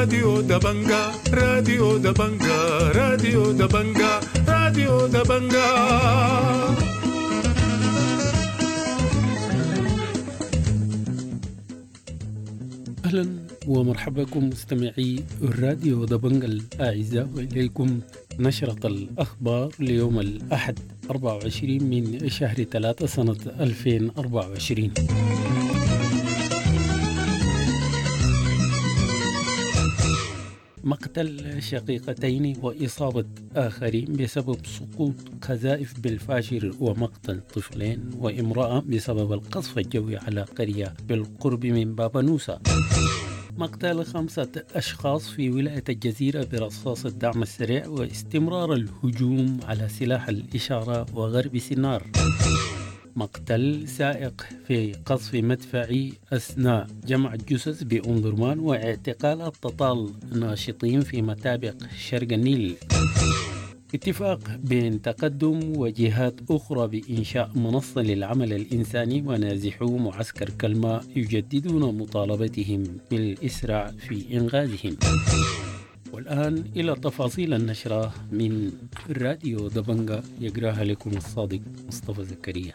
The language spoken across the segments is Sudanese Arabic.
راديو دبنجا، راديو دبنجا، راديو دبنجا، راديو دبنجا. أهلا ومرحبا بكم مستمعي الراديو دبنجا الأعزاء، وإليكم نشرة الأخبار ليوم الأحد 24 من شهر 3 سنة 2024. مقتل شقيقتين وإصابة آخرين بسبب سقوط قذائف بالفاشر، ومقتل طفلين وامرأة بسبب القصف الجوي على قرية بالقرب من بابنوسة. مقتل 5 أشخاص في ولاية الجزيرة برصاص الدعم السريع، واستمرار الهجوم على سلاح الإشارة وغرب سنار. مقتل سائق في قصف مدفعي أثناء جمع الجثث بأم درمان، واعتقال تطال ناشطين في متابق شرق النيل. اتفاق بين تقدم وجهات أخرى بإنشاء منصة للعمل الإنساني، ونازحو معسكر كلمة يجددون مطالبتهم بالإسراع في إنغاذهم. والآن إلى تفاصيل النشرة من راديو دبنجا، يقراها لكم الصادق مصطفى زكريا.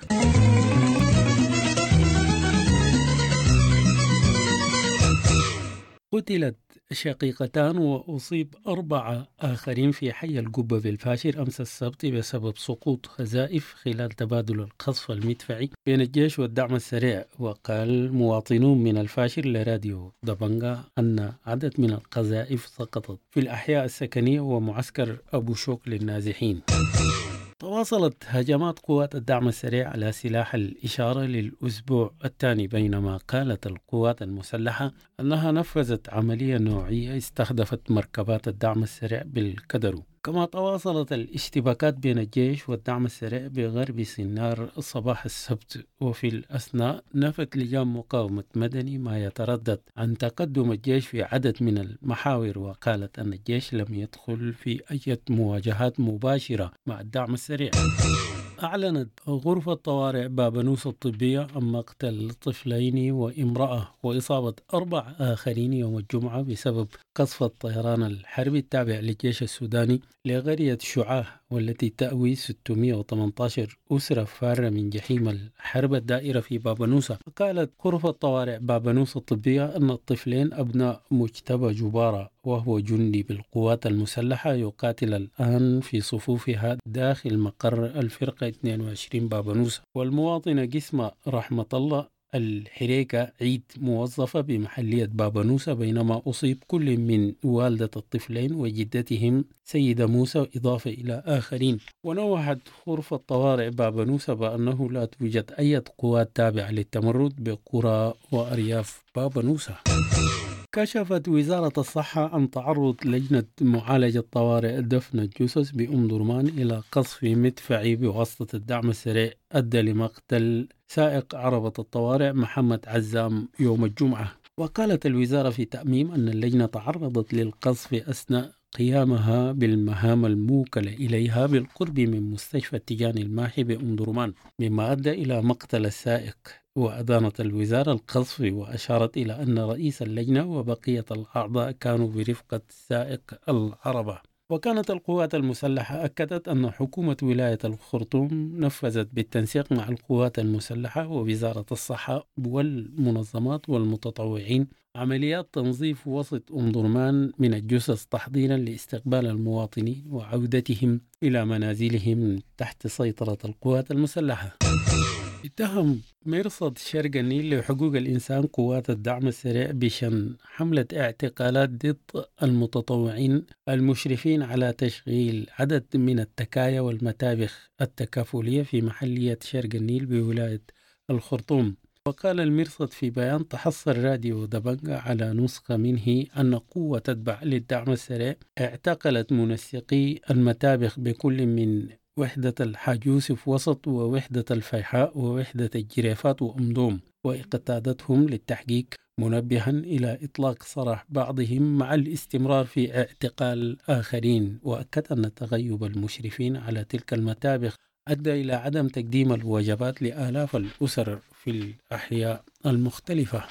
قتلت شقيقتان وأصيب 4 آخرين في حي القبة بالفاشر أمس السبت بسبب سقوط قذائف خلال تبادل القصف المدفعي بين الجيش والدعم السريع. وقال مواطنون من الفاشر لراديو دبنجا أن عدد من القذائف سقطت في الأحياء السكنية ومعسكر أبو شوك للنازحين. تواصلت هجمات قوات الدعم السريع على سلاح الإشارة للأسبوع الثاني، بينما قالت القوات المسلحة أنها نفذت عملية نوعية استهدفت مركبات الدعم السريع بالكدرو. كما تواصلت الاشتباكات بين الجيش والدعم السريع بغرب سنار صباح السبت. وفي الأثناء نفت لجان مقاومة مدني ما يتردد عن تقدم الجيش في عدد من المحاور، وقالت أن الجيش لم يدخل في أي مواجهات مباشرة مع الدعم السريع. أعلنت غرفة طوارئ بابنوس الطبية عن مقتل طفلين وامرأة وإصابة 4 آخرين يوم الجمعة بسبب قصف الطيران الحربي التابع للجيش السوداني لقرية شعاع، والتي تأوي 618 أسرة فارة من جحيم الحرب الدائرة في بابنوسة. قالت غرفة طوارئ بابنوسة الطبية أن الطفلين أبناء مجتبى جبارة، وهو جندي بالقوات المسلحة يقاتل الآن في صفوفها داخل مقر الفرقة 22 بابنوسة، والمواطنة قسمة رحمة الله الحريكة عيد موظفة بمحلية بابنوسة، بينما أصيب كل من والدة الطفلين وجدتهم سيدة موسى إضافة إلى آخرين. ونوهت غرفة طوارئ بابنوسة بأنه لا توجد أي قوات تابعة للتمرد بقرى وأرياف بابنوسة. كشفت وزارة الصحة عن تعرض لجنة معالجة طوارئ دفن الجثث بأم درمان إلى قصف مدفعي بواسطة الدعم السريع أدى لمقتل سائق عربة الطوارئ محمد عزام يوم الجمعة. وقالت الوزارة في تأميم أن اللجنة تعرضت للقصف أثناء قيامها بالمهام الموكلة إليها بالقرب من مستشفى التجاني الماحي بأم درمان، مما أدى إلى مقتل السائق. وأدانت الوزارة القصف وأشارت إلى أن رئيس اللجنة وبقية الأعضاء كانوا برفقة سائق العربة. وكانت القوات المسلحة أكدت أن حكومة ولاية الخرطوم نفذت بالتنسيق مع القوات المسلحة ووزارة الصحة والمنظمات والمتطوعين عمليات تنظيف وسط أم درمان من الجثث تحضيرا لاستقبال المواطنين وعودتهم إلى منازلهم تحت سيطرة القوات المسلحة. اتهم مرصد شرق النيل لحقوق الإنسان قوات الدعم السريع بشن حملة اعتقالات ضد المتطوعين المشرفين على تشغيل عدد من التكايا والمتابخ التكافلية في محلية شرق النيل بولاية الخرطوم. وقال المرصد في بيان تحصل راديو دبنجا على نسخة منه أن قوة تتبع للدعم السريع اعتقلت منسقي المتابخ بكل من وحدة الحاج يوسف وسط ووحدة الفيحاء ووحدة الجريفات وأمدوم، واقتادتهم للتحقيق، منبها إلى إطلاق سراح بعضهم مع الاستمرار في اعتقال آخرين. وأكد أن تغيب المشرفين على تلك المتابخ أدى إلى عدم تقديم الوجبات لآلاف الأسر في الأحياء المختلفة.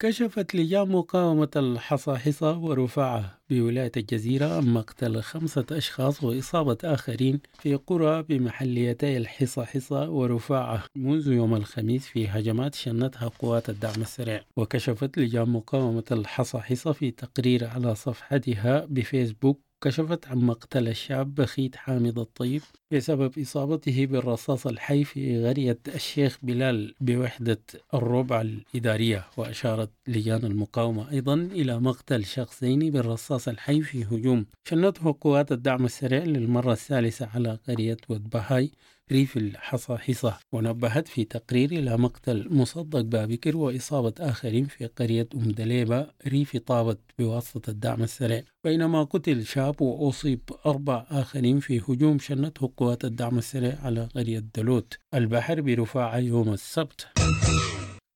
كشفت لجان مقاومة الحصاحيصا ورفاعة بولاية الجزيرة عن مقتل 5 أشخاص وإصابة آخرين في قرى بمحليتي الحصاحيصا ورفاعة منذ يوم الخميس في هجمات شنتها قوات الدعم السريع. وكشفت لجان مقاومة الحصاحيصا في تقرير على صفحتها بفيسبوك كشفت عن مقتل الشاب بخيت حامد الطيب بسبب إصابته بالرصاص الحي في قرية الشيخ بلال بوحدة الربع الإدارية. وأشارت لجان المقاومة أيضا إلى مقتل شخصين بالرصاص الحي في هجوم شنته قوات الدعم السريع للمرة الثالثة على قرية ودبهاي ريف الحصاحيصا. ونبهت في تقرير إلى مقتل مصدق بابكر وإصابة آخرين في قرية أم دليبة ريف طابت بواسطة الدعم السريع، بينما قتل شاب وأصيب 4 آخرين في هجوم شنته قوات الدعم السريع على قرية دلوت البحر برفاعة يوم السبت.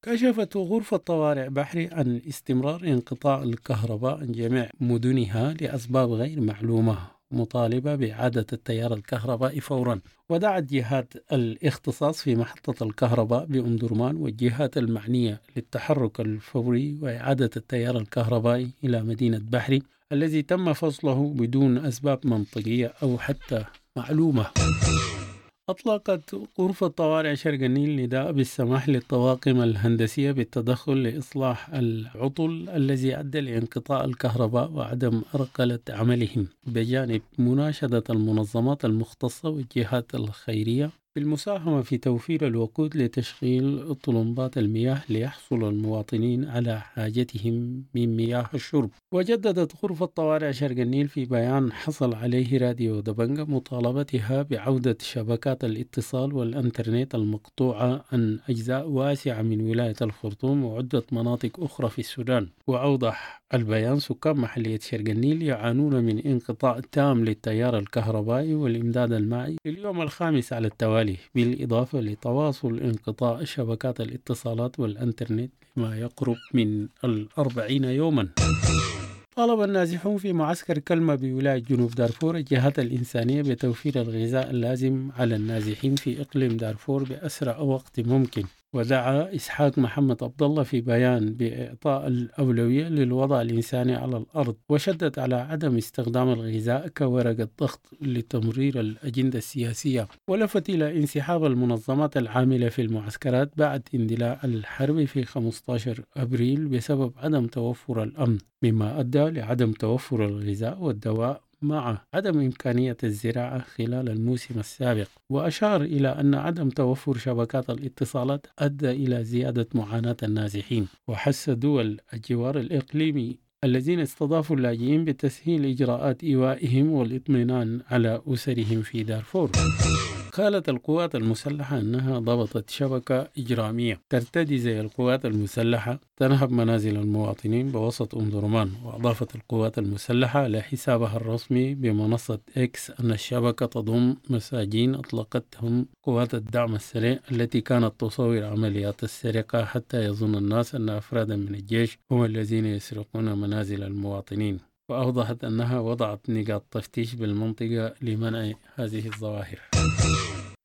كشفت غرفة طوارئ بحري عن استمرار انقطاع الكهرباء عن جميع مدنها لأسباب غير معلومة، مطالبة بإعادة التيار الكهربائي فورا. ودعت جهات الاختصاص في محطة الكهرباء بأم درمان والجهات المعنية للتحرك الفوري وإعادة التيار الكهربائي إلى مدينة بحري الذي تم فصله بدون أسباب منطقية أو حتى معلومة. أطلقت غرفة طوارئ شرق النيل نداء بالسماح للطواقم الهندسية بالتدخل لإصلاح العطل الذي أدى لانقطاع الكهرباء وعدم أرقلة عملهم، بجانب مناشدة المنظمات المختصة والجهات الخيرية بالمساهمة في توفير الوقود لتشغيل طلمبات المياه ليحصل المواطنين على حاجتهم من مياه الشرب. وجددت غرفة طوارئ شرق النيل في بيان حصل عليه راديو دبنجة مطالبتها بعودة شبكات الاتصال والإنترنت المقطوعة عن أجزاء واسعة من ولاية الخرطوم وعدة مناطق أخرى في السودان. وأوضح البيان سكان محلية شرق النيل يعانون من انقطاع تام للتيار الكهربائي والإمداد المائي لليوم الخامس على التوالي، بالإضافة لتواصل انقطاع شبكات الاتصالات والإنترنت ما يقرب من 40 يوما. طالب النازحون في معسكر كلمة بولاية جنوب دارفور الجهات الإنسانية بتوفير الغذاء اللازم على النازحين في إقليم دارفور بأسرع وقت ممكن. ودعا إسحاق محمد عبد الله في بيان بإعطاء الأولوية للوضع الإنساني على الأرض، وشدد على عدم استخدام الغذاء كورقة ضغط لتمرير الأجندة السياسية، ولفت إلى انسحاب المنظمات العاملة في المعسكرات بعد اندلاع الحرب في 15 أبريل بسبب عدم توفر الأمن، مما أدى لعدم توفر الغذاء والدواء مع عدم إمكانية الزراعة خلال الموسم السابق. وأشار إلى أن عدم توفر شبكات الاتصالات أدى إلى زيادة معاناة النازحين. وحث دول الجوار الإقليمي الذين استضافوا اللاجئين بتسهيل إجراءات إيوائهم والاطمئنان على أسرهم في دارفور. قالت القوات المسلحة أنها ضبطت شبكة إجرامية ترتدي زي القوات المسلحة تنهب منازل المواطنين بوسط أم درمان. وأضافت القوات المسلحة على حسابها الرسمي بمنصة إكس أن الشبكة تضم مساجين أطلقتهم قوات الدعم السريع التي كانت تصور عمليات السرقة حتى يظن الناس أن أفرادا من الجيش هم الذين يسرقون منازل المواطنين. وأوضحت أنها وضعت نقاط تفتيش بالمنطقة لمنع هذه الظواهر.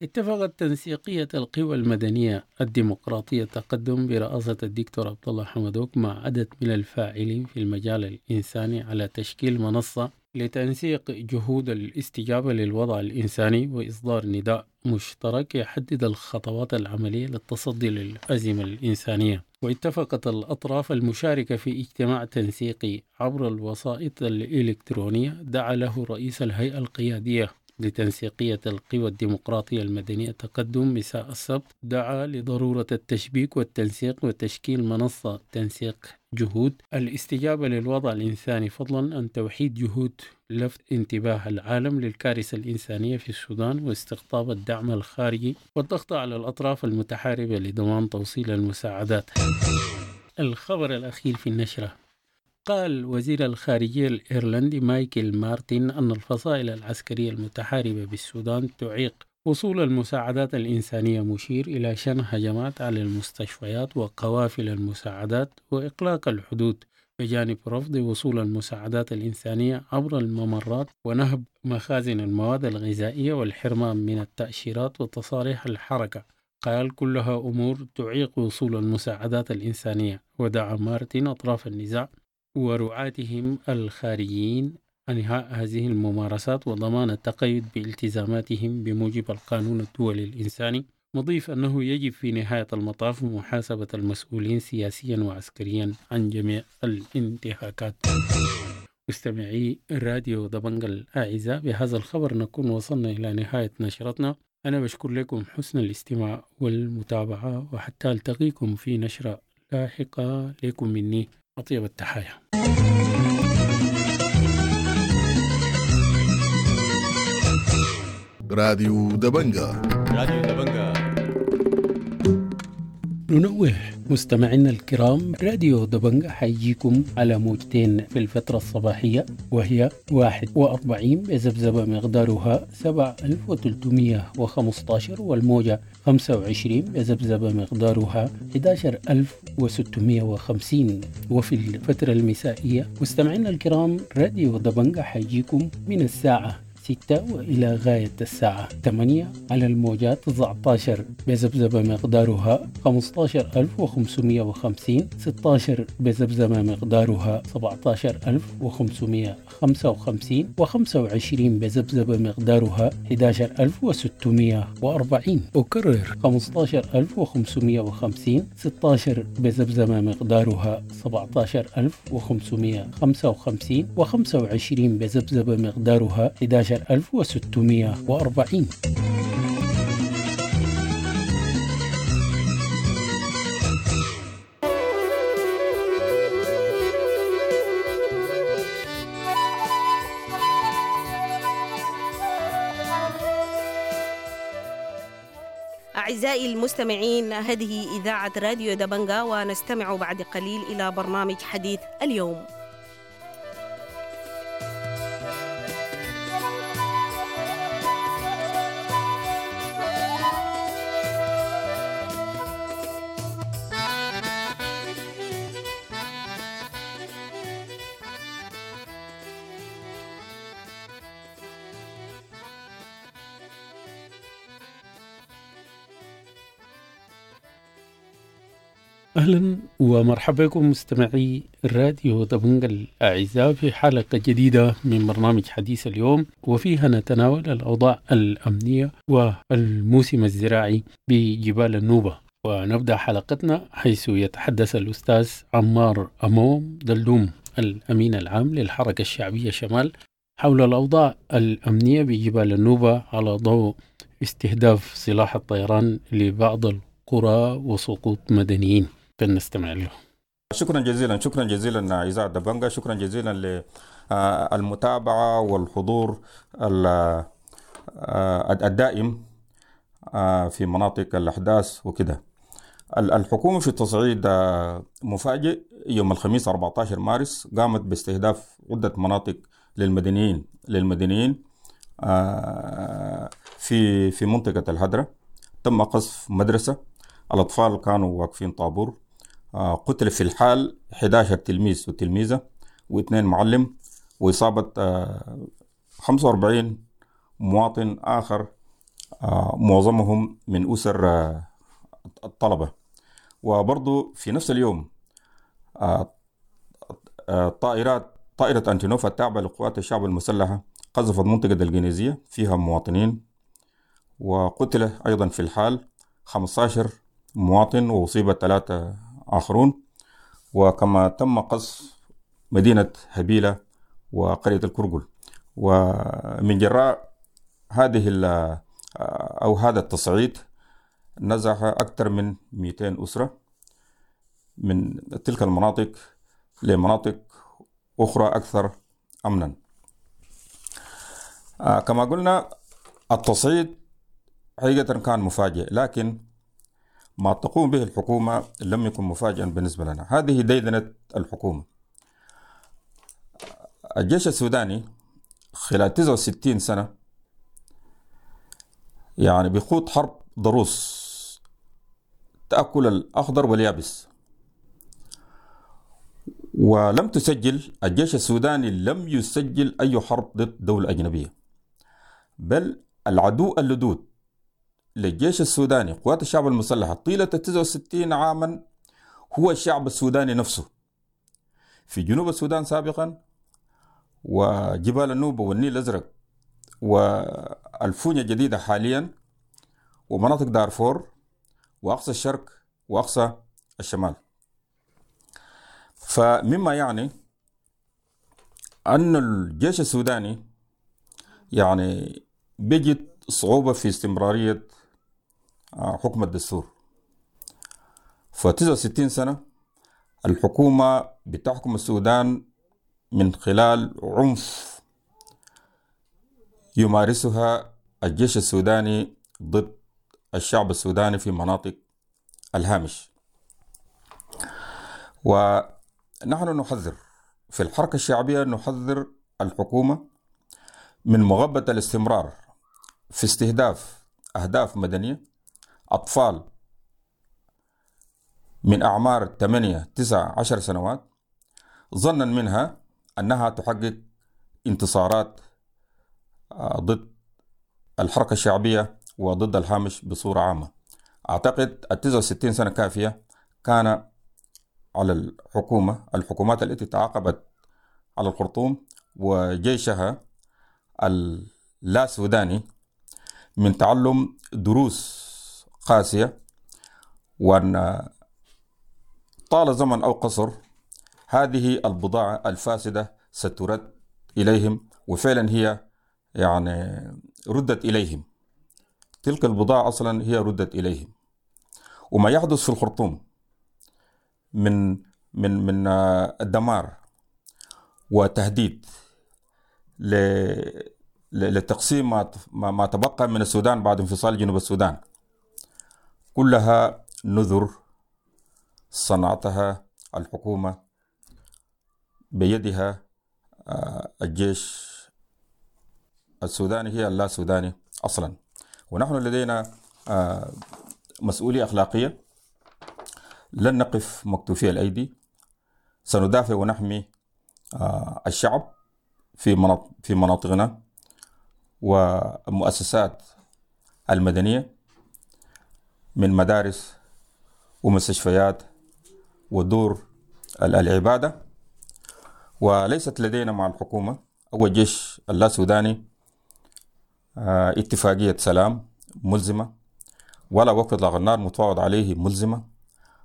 اتفقت تنسيقية القوى المدنية الديمقراطية تقدم برئاسة الدكتور عبد الله حمدوك مع عدد من الفاعلين في المجال الإنساني على تشكيل منصة لتنسيق جهود الاستجابة للوضع الإنساني وإصدار نداء مشترك يحدد الخطوات العملية للتصدي للأزمة الإنسانية. واتفقت الأطراف المشاركة في اجتماع تنسيقي عبر الوسائط الإلكترونية دعا له رئيس الهيئة القيادية لتنسيقية القوى الديمقراطية المدنية تقدم مساء السبت، دعا لضرورة التشبيك والتنسيق وتشكيل منصة تنسيق جهود الاستجابة للوضع الإنساني، فضلا عن توحيد جهود لفت انتباه العالم للكارثة الإنسانية في السودان واستقطاب الدعم الخارجي والضغط على الأطراف المتحاربة لضمان توصيل المساعدات. الخبر الأخير في النشرة: قال وزير الخارجية الإيرلندي مايكل مارتن أن الفصائل العسكرية المتحاربة بالسودان تعيق وصول المساعدات الإنسانية، مشير إلى شن هجمات على المستشفيات وقوافل المساعدات وإغلاق الحدود، بجانب رفض وصول المساعدات الإنسانية عبر الممرات ونهب مخازن المواد الغذائية والحرمان من التأشيرات وتصاريح الحركة. قال كلها أمور تعيق وصول المساعدات الإنسانية. ودعا مارتن أطراف النزاع ورعاتهم الخارجيين انهاء هذه الممارسات وضمان التقيد بالتزاماتهم بموجب القانون الدولي الإنساني، مضيف أنه يجب في نهاية المطاف محاسبة المسؤولين سياسيا وعسكريا عن جميع الانتهاكات. مستمعي راديو دبنج الأعزاء، بهذا الخبر نكون وصلنا إلى نهاية نشرتنا. أنا بشكر لكم حسن الاستماع والمتابعة، وحتى ألتقيكم في نشرة لاحقة، لكم مني أطيب التحايا. راديو دبنجا. راديو دبنجا. ننوه مستمعينا الكرام، راديو دبنجا حيجيكم على موجتين في الفترة الصباحية، وهي 41 بذبذبة مقدارها 7315، والموجة 25 بذبذبة مقدارها 11650. وفي الفترة المسائية مستمعينا الكرام، راديو دبنجا حيجيكم من الساعة 6 وإلى غاية الساعة 8 على الموجات 19 بذبذبة مقدارها 15550، 16 بذبذبة مقدارها 17555، و25 بذبذبة مقدارها 11640. أكرر 15550، 16 بذبذبة مقدارها 17555، و25 بذبذبة مقدارها 11640. أعزائي المستمعين، هذه إذاعة راديو دبنجا، ونستمع بعد قليل إلى برنامج حديث اليوم. أهلا ومرحبا بكم مستمعي الراديو دبنجا الأعزاء في حلقة جديدة من برنامج حديث اليوم، وفيها نتناول الأوضاع الأمنية والموسم الزراعي بجبال النوبة. ونبدأ حلقتنا حيث يتحدث الأستاذ عمار أموم دلوم الأمين العام للحركة الشعبية شمال حول الأوضاع الأمنية بجبال النوبة على ضوء استهداف سلاح الطيران لبعض القرى وسقوط مدنيين. فلنستمع له. شكرا جزيلا، شكرا جزيلا إذاعة دبنجا، شكرا جزيلا للمتابعة والحضور الدائم في مناطق الأحداث وكده. الحكومة في التصعيد مفاجئ يوم الخميس 14 مارس قامت باستهداف عدة مناطق للمدنيين في منطقة الهدرة. تم قصف مدرسة، الأطفال كانوا واقفين طابور، قتل في الحال 11 تلميذ وتلميذة و2 معلم، وإصابة 45 مواطن آخر، معظمهم من أسر الطلبة. وبرضو في نفس اليوم طائرة أنتونوف التابعة لقوات الشعب المسلحة قذفت منطقة الجنيزية فيها مواطنين، وقتل أيضا في الحال 15 مواطن وأصيب 3 آخرون. وكما تم قصف مدينة هبيلة وقرية الكرقل. ومن جراء هذه أو هذا التصعيد نزح أكثر من 200 أسرة من تلك المناطق لمناطق أخرى أكثر أمنا. كما قلنا التصعيد حقيقة كان مفاجئ، لكن ما تقوم به الحكومة لم يكن مفاجئا بالنسبة لنا. هذه ديدنة الحكومة. الجيش السوداني خلال 69 سنة يعني بيخوض حرب ضروس تأكل الأخضر واليابس، ولم تسجل الجيش السوداني لم يسجل أي حرب ضد دولة أجنبية، بل العدو اللدود للجيش السوداني قوات الشعب المسلحة طيلة 69 عاما هو الشعب السوداني نفسه في جنوب السودان سابقا، وجبال النوبة والنيل الأزرق والفونيا الجديدة حاليا، ومناطق دارفور وأقصى الشرق وأقصى الشمال. فمما يعني أن الجيش السوداني يعني بيجد صعوبة في استمرارية حكم الدستور. ف69 سنة الحكومة بتحكم السودان من خلال عنف يمارسها الجيش السوداني ضد الشعب السوداني في مناطق الهامش. ونحن نحذر في الحركة الشعبية، نحذر الحكومة من مغبة الاستمرار في استهداف أهداف مدنية، أطفال من أعمار 8 9 10 سنوات، ظنا منها أنها تحقق انتصارات ضد الحركة الشعبية وضد الهامش بصورة عامة. أعتقد 69 سنة كافية كان على الحكومة، الحكومات التي تعاقبت على الخرطوم وجيشها اللا سوداني، من تعلم دروس قاسية، وأن طال زمن أو قصر هذه البضاعة الفاسدة سترد إليهم، وفعلا هي يعني ردت إليهم. تلك البضاعة أصلا هي ردت إليهم. وما يحدث في الخرطوم من من من الدمار وتهديد لتقسيم ما تبقى من السودان بعد انفصال جنوب السودان، كلها نذر صنعتها الحكومة بيدها الجيش السوداني، هي اللا سوداني أصلا. ونحن لدينا مسؤولية أخلاقية، لن نقف مكتوفي الأيدي، سندافع ونحمي الشعب في مناطقنا والمؤسسات المدنية من مدارس ومستشفيات ودور العبادة. وليست لدينا مع الحكومة أو الجيش اللا سوداني اتفاقية سلام ملزمة، ولا وقف إطلاق النار متفاوض عليه ملزمة،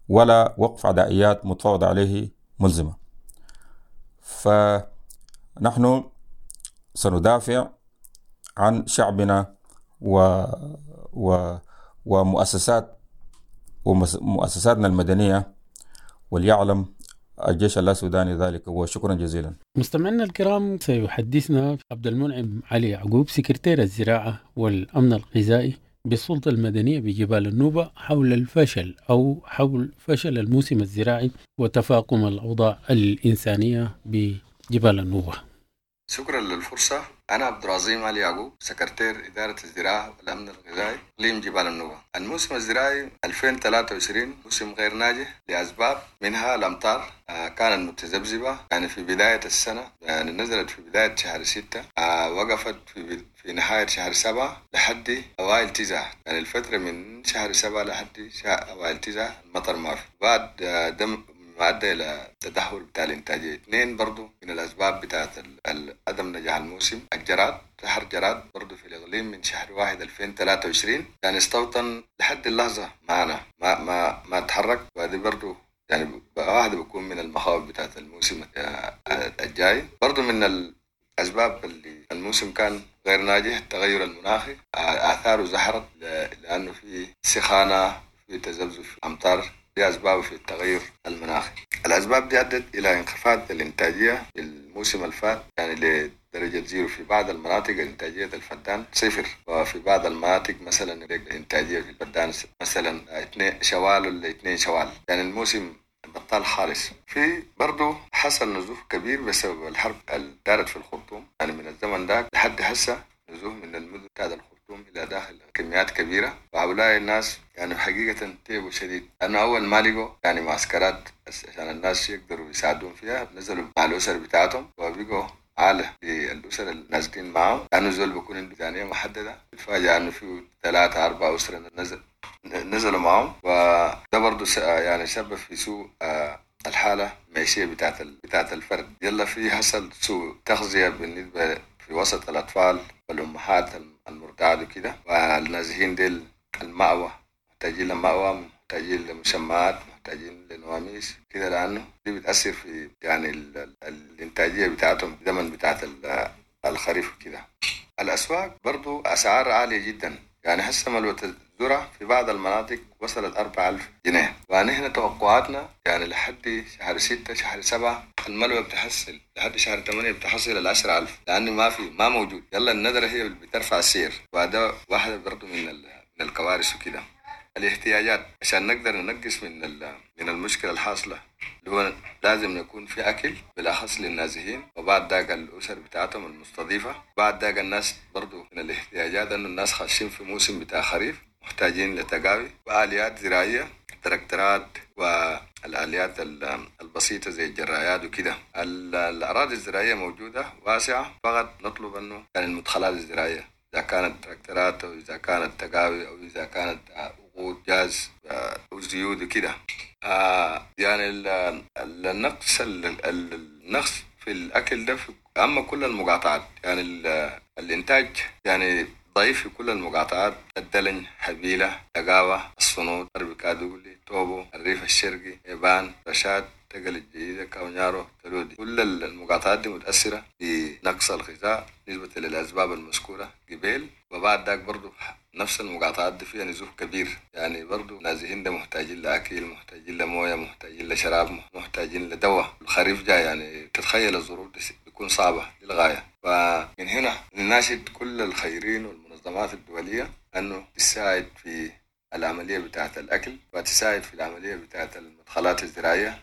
ولا وقف عدائيات متفاوض عليه ملزمة. فنحن سندافع عن شعبنا ومؤسسات ومؤسساتنا المدنية، وليعلم الجيش السوداني ذلك. وشكرا جزيلا. مستمعينا الكرام، سيحدثنا عبد المنعم علي يعقوب سكرتير الزراعة والأمن الغذائي بالسلطة المدنية بجبال النوبة حول الفشل أو حول فشل الموسم الزراعي وتفاقم الأوضاع الإنسانية بجبال النوبة. شكرا للفرصة. أنا عبد العظيم علي يعقوب، سكرتير إدارة الزراعة والأمن الغذائي إقليم جبال النوبة. الموسم الزراعي 2023 موسم غير ناجح لأسباب، منها الأمطار كانت متذبذبة، يعني في بداية السنة، يعني نزلت في بداية شهر 6، وقفت في نهاية شهر 7 لحد أوائل 9، يعني الفترة من شهر 7 لحد أوائل 9 المطر ما في. بعد دم ما أدى إلى تدهور بتاع الإنتاجية. 2 برضو من الأسباب بتاعت عدم نجاح الموسم الجراد، شهر جراد برضو في الإقليم من شهر 1 2023، يعني استوطن لحد اللحظة معنا ما ما ما تحرك، وهذه برضو يعني واحدة بكون من المخاوف بتاعت الموسم الجاي. برضو من الأسباب اللي الموسم كان غير ناجح التغير المناخي، آثاره ظهرت لأنه في سخانة، في تذبذب في الأمطار، دي أسباب في التغير المناخي. الأسباب دي أدت إلى انخفاض الإنتاجية في الموسم الفات، يعني لدرجة 0 في بعض المناطق إنتاجية الفدان 0، وفي بعض المناطق مثلا الإنتاجية في الفدان مثلا 2 شوال ولا 2 شوال، يعني الموسم بطال خالص. في برضو حصل نزوف كبير بسبب الحرب اللي دارت في الخرطوم، يعني من الزمن ده لحد هسه نزوف من المدن بتاعت الخرطوم إلى داخل كميات كبيرة، وهؤلاء الناس يعني حقيقة تعبوا شديد، لأنه أول ما لقوا يعني معسكرات عشان الناس يقدروا يساعدون فيها نزلوا مع الأسر بتاعتهم وبقوا عالة للأسر النازلين معه، لأنه زول بيكون عنده ميزانية محددة، بيتفاجأ أنه في 3 4 أسر نزلوا معهم، وده برضه يعني سبب في سوء الحالة المعيشية بتاعت الفرد. يلا في حصل سوء تغذية بالنسبة في وسط الأطفال والأمهات المرضعات وكده، والنازحين ديل المأوى محتاجين لمأوى، محتاجين لمشمعات، محتاجين لنواميس كده، لأنه دي بتأثر في يعني الإنتاجية بتاعتهم زمن بتاعت الخريف وكده. الأسواق برضو أسعار عالية جدا، يعني هسه ملوة الذرة في بعض المناطق وصلت 4000 جنيه، ونحن توقعاتنا يعني لحد شهر 6 شهر 7 الملوة بتحصل، لحد شهر 8 بتحصل 10,000، لأنه ما موجود. يلا الندرة هي اللي بترفع السعر، وهذا واحدة برضو من الكوارث وكده. الاحتياجات عشان نقدر ننقص من المشكلة الحاصلة، اللي هو لازم يكون في أكل بالأخص للنازحين، وبعد ذاك الأسر بتاعتهم المستضيفة، بعد ذاك الناس برضو من الاحتياجات أنه الناس خاشين في موسم بتاع خريف، محتاجين لتقاوي وآليات زراعية، تراكترات والآليات البسيطة زي الجرايات وكده. الأراضي الزراعية موجودة واسعة، فقط نطلب أنه يعني المدخلات الزراعية، إذا كانت تراكترات أو إذا كانت تقاوي أو إذا كانت وقود جاز أو زيوت وكده. يعني النقص النقص في الأكل ده في أما كل المقاطعات، يعني الإنتاج يعني ضعيف في كل المقاطعات: الدلن، حبيلة، تقاوة، الصنوط، غرب كادولي، توبو، الريف الشرقي، إيبان، رشاد، تقل الجديدة، كاونيارو، تلودي. كل المقاطعات دي متأثرة بنقص الغذاء نسبة للأسباب المذكورة قبل. وبعد ذاك برضو نفس المقاطعات دي فيها نزوح كبير، يعني برضو نازحين ده محتاجين لأكل، محتاجين لموية، محتاجين لشراب، محتاجين لدواء. الخريف جاي، يعني تتخيل الظروف دي بتكون صعبة للغاية. فمن هنا نناشد كل الخيرين والمنظمات الدولية أنه تساعد في العملية بتاعة الأكل، وتساعد في العملية بتاعة المدخلات الزراعية،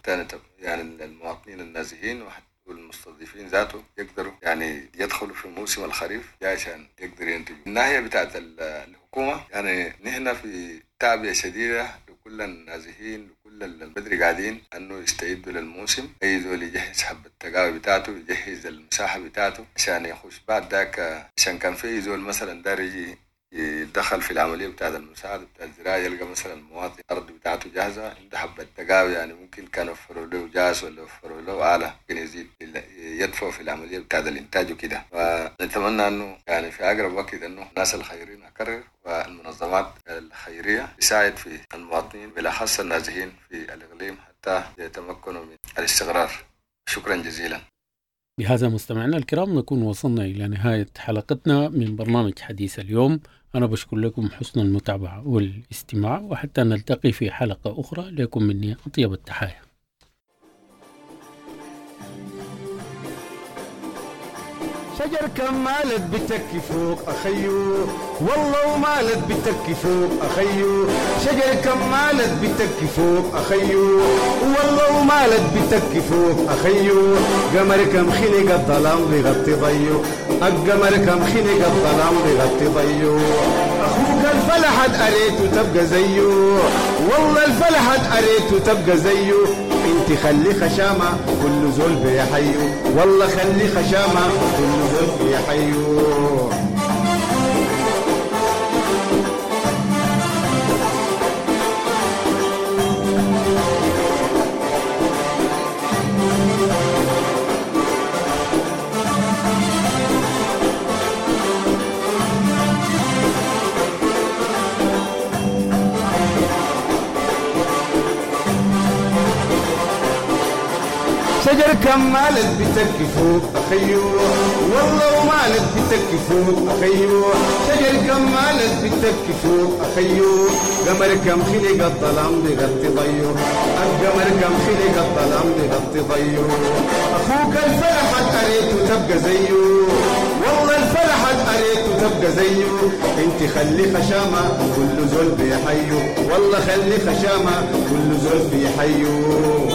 يعني المواطنين النازحين والمستضيفين ذاته يقدروا يعني يدخلوا في موسم الخريف عشان يقدروا ينتجوا. الناحية بتاعة الحكومة، يعني نحن في تعبئة شديدة لكل النازحين، لكل البدري قاعدين أنه يستعدوا للموسم. أي زول يجهز حبة التقاوي بتاعته، يجهز المساحة بتاعته عشان يخش بعد ذاك، عشان كان في زول مثلا دار يجي يتدخل في العملية بتاعة المساعدة بتاع الزراعة، يلقى مثلا المواطن الأرض بتاعته جاهزة، عنده حبة تقاوي، يعني ممكن كان وفروا له جاز ولا وفروا له آلة ممكن يزيد يدفع في العملية بتاعة الإنتاج وكده. فنتمنى أنه يعني في أقرب وقت أنه الناس الخيرين أكرر والمنظمات الخيرية تساعد في المواطنين بالأخص النازحين في الإقليم حتى يتمكنوا من الاستقرار. شكرا جزيلا. بهذا مستمعينا الكرام نكون وصلنا إلى نهاية حلقتنا من برنامج حديث اليوم. أنا بشكر لكم حسن المتابعة والاستماع، وحتى نلتقي في حلقة أخرى لكم مني أطيب التحايا. شجر كمالت بتكي فوق أخيو، والله ومالت بتكي فوق أخيو، شجر كمالت بتكي فوق أخيو، والله ومالت بتكي فوق أخيو، قمر كم خلق الظلام بيغطي ضيو، القمر كم خلق الظلام بيغطي ضيو، أخوك الفلحت أريته تبقى زيه، والله الفلحت أريته تبقى زيه، انت خلي خشامة كل زول بيحيو، والله خلي خشامة كل زول بيحيو. شجر كمالت بتكي فوق أخيو، والله ومالت بتكي فوق أخيو، شجر كمالت بتكي فوق أخيو، قمر كم خلق الظلام بيغطي ضيو، القمر كم خلق الظلام بيغطي ضيو، أخوك الفلحت أريته تبقى زيه، والله الفلحت أريته تبقى زيه، انت خلي خشامة كل زول بيحيو، والله خلي خشامة كل زول بيحيو.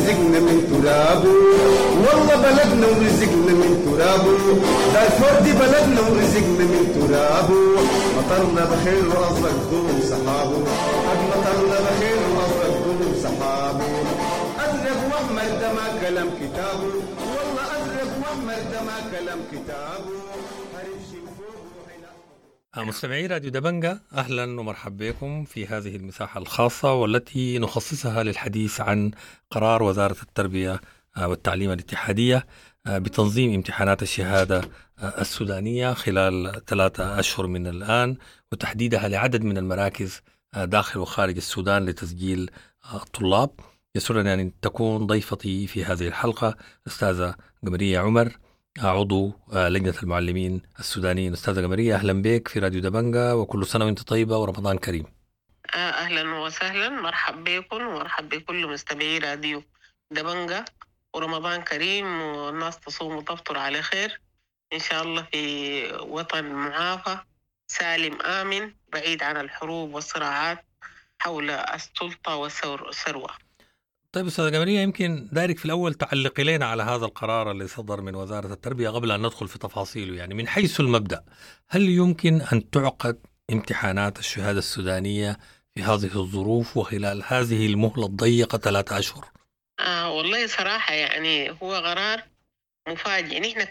ورزقنا من ترابه، والله بلدنا ورزقنا من ترابه، دارفور دي بلدنا ورزقنا من ترابه، مطرنا بخير وأزرق ظلم سحابه، مطرنا بخير وأزرق ظلم سحابه، أزرق وأحمر ده ما كلام كتابه، والله أزرق وأحمر ده ما كلام كتابه. مستمعي راديو دبنجة، أهلا ومرحبا بكم في هذه المساحة الخاصة والتي نخصصها للحديث عن قرار وزارة التربية والتعليم الاتحادية بتنظيم امتحانات الشهادة السودانية خلال 3 أشهر من الآن، وتحديدها لعدد من المراكز داخل وخارج السودان لتسجيل الطلاب. يسرني أن تكون ضيفتي في هذه الحلقة أستاذة قمرية عمر، عضو لجنة المعلمين السودانيين. أستاذة قمرية، أهلا بك في راديو دبنجة، وكل سنة وأنت طيبة ورمضان كريم. أهلا وسهلا، مرحب بكم ومرحب بكل مستمعي راديو دبنجة، ورمضان كريم والناس تصوم وتفطر على خير إن شاء الله في وطن معافى سالم آمن بعيد عن الحروب والصراعات حول السلطة والثروة. طيب أستاذة قمرية، يمكن دايرك في الأول تعلقي لنا على هذا القرار اللي صدر من وزارة التربية قبل أن ندخل في تفاصيله. يعني من حيث المبدأ، هل يمكن أن تعقد امتحانات الشهادة السودانية في هذه الظروف وخلال هذه المهلة الضيقة 3 أشهر؟ والله صراحة يعني هو قرار مفاجئ. نحن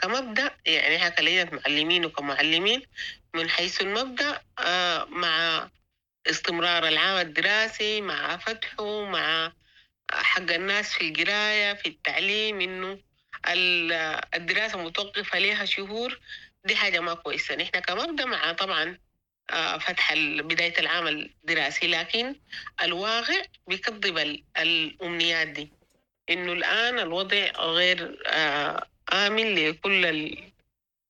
كمبدأ، يعني احنا كلجنة معلمين وكمعلمين، من حيث المبدأ مع استمرار العام الدراسي، مع فتحه، مع حق الناس في القراية في التعليم، إنه الدراسة متوقفة لها شهور، دي حاجة ما كويسة. نحن كمبدأ مع طبعا فتح بداية العام الدراسي، لكن الواقع بيكذب الأمنيات دي، إنه الآن الوضع غير آمن لكل